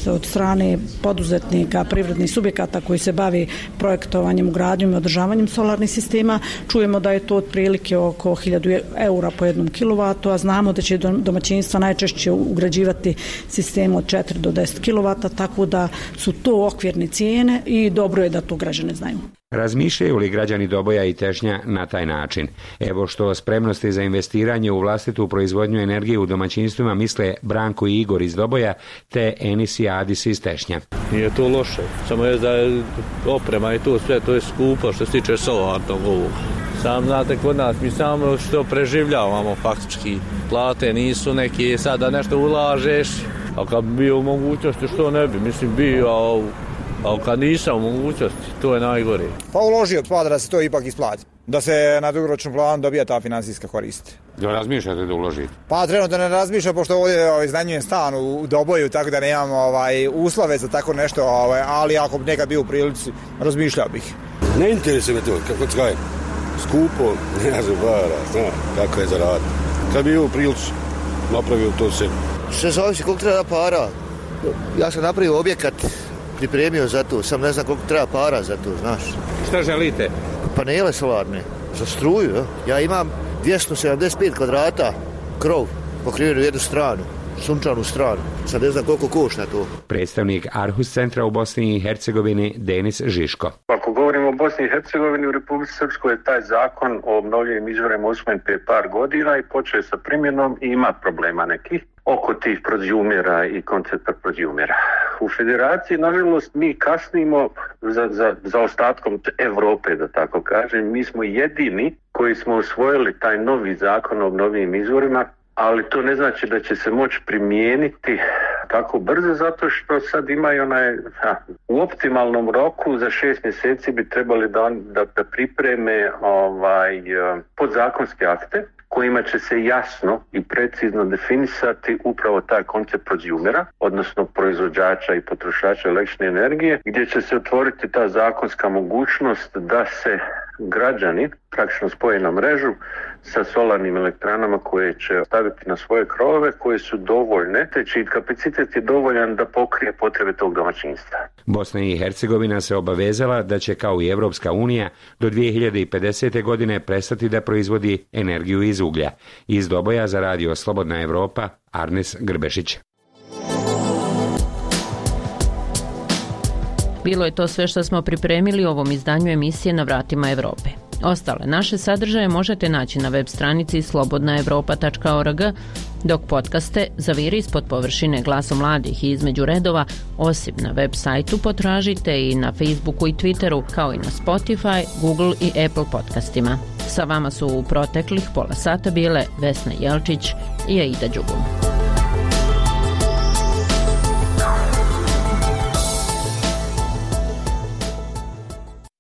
[SPEAKER 2] od strane poduzetnika, privrednih subjekata koji se bavi projektovanjem, ugradnjom i održavanjem solarnih sistema, čujemo da je to otprilike oko 1000 eura po jednom kilovatu, a znamo da će domaćinstva najčešće ugrađivati sistem od 4 do 10 kilovata, tako da su to okvirne cijene i dobro je da to građane znaju.
[SPEAKER 15] Razmišljaju li građani Doboja i Tešnja na taj način? Evo što o spremnosti za investiranje u vlastitu proizvodnju energije u domaćinstvima misle Branko i Igor iz Doboja te Enis i Adis iz Tešnja.
[SPEAKER 18] Nije to loše, samo je da je oprema i to sve, to je skupo što se tiče solarnog ovog. Sam znate, kod nas mi samo što preživljavamo faktički. Plate nisu neke, sada nešto ulažeš, a kad bi bio u mogućnosti što ne bi, mislim bio, ali kad nisam u mogućnosti, to je najgore.
[SPEAKER 22] Pa uložio da se to ipak isplati, da se na dugoročnom planu dobija ta financijska korist.
[SPEAKER 15] Da razmišljate da uložite?
[SPEAKER 22] Pa trenutno ne razmišljam, pošto ovdje iznajmljujem stan u Doboju, tako da nemam uslove za tako nešto, ali ako bi nekad bio u prilici, razmišljao bih.
[SPEAKER 26] Ne interesuje me to, kako kažem, skupo, ne znam para, kako je zaraditi. Kad bi bio u prilici, napravio to se.
[SPEAKER 27] Sve zavisi koliko treba para. Ja sam napravio objekat, pripremio za to, sam ne znam koliko treba para za to, znaš.
[SPEAKER 15] Šta želite?
[SPEAKER 27] Panele solarne, za struju, ja imam 275 kvadrata krov pokriven u jednu stranu, sunčanu stranu, sad ne znam koliko košta to.
[SPEAKER 15] Predstavnik Arhus centra u Bosni i Hercegovini Denis Žiško.
[SPEAKER 28] Ako govorimo o Bosni i Hercegovini, u Republici Srpskoj je taj zakon o obnovljivim izvorima usvojen prije par godina i počeo sa primjenom i ima problema nekih oko tih prozjumera i koncepta prozjumera. U federaciji, nažalost, mi kasnimo za ostatkom Evrope, da tako kažem. Mi smo jedini koji smo usvojili taj novi zakon o obnovljivim izvorima, ali to ne znači da će se moći primijeniti tako brzo, zato što sad imaju u optimalnom roku za 6 mjeseci bi trebali da pripreme podzakonske akte kojima će se jasno i precizno definisati upravo taj koncept prozjumera, odnosno proizvođača i potrošača električne energije, gdje će se otvoriti ta zakonska mogućnost da se građani praktično spoje na mrežu sa solarnim elektranama koje će staviti na svoje krovove koje su dovoljne, te čiji kapacitet je dovoljan da pokrije potrebe tog domaćinstva.
[SPEAKER 15] Bosna i Hercegovina se obavezala da će kao i Evropska unija do 2050. godine prestati da proizvodi energiju iz uglja. Iz Doboja za radio Slobodna Evropa, Arnes Grbešić.
[SPEAKER 21] Bilo je to sve što smo pripremili u ovom izdanju emisije Na vratima Evrope. Ostale naše sadržaje možete naći na web stranici slobodnaevropa.org, dok podcaste Zaviri ispod površine Glasom mladih i Između redova, osim na web sajtu, potražite i na Facebooku i Twitteru, kao i na Spotify, Google i Apple podcastima. Sa vama su u proteklih pola sata bile Vesna Jelčić i Aida Đugum.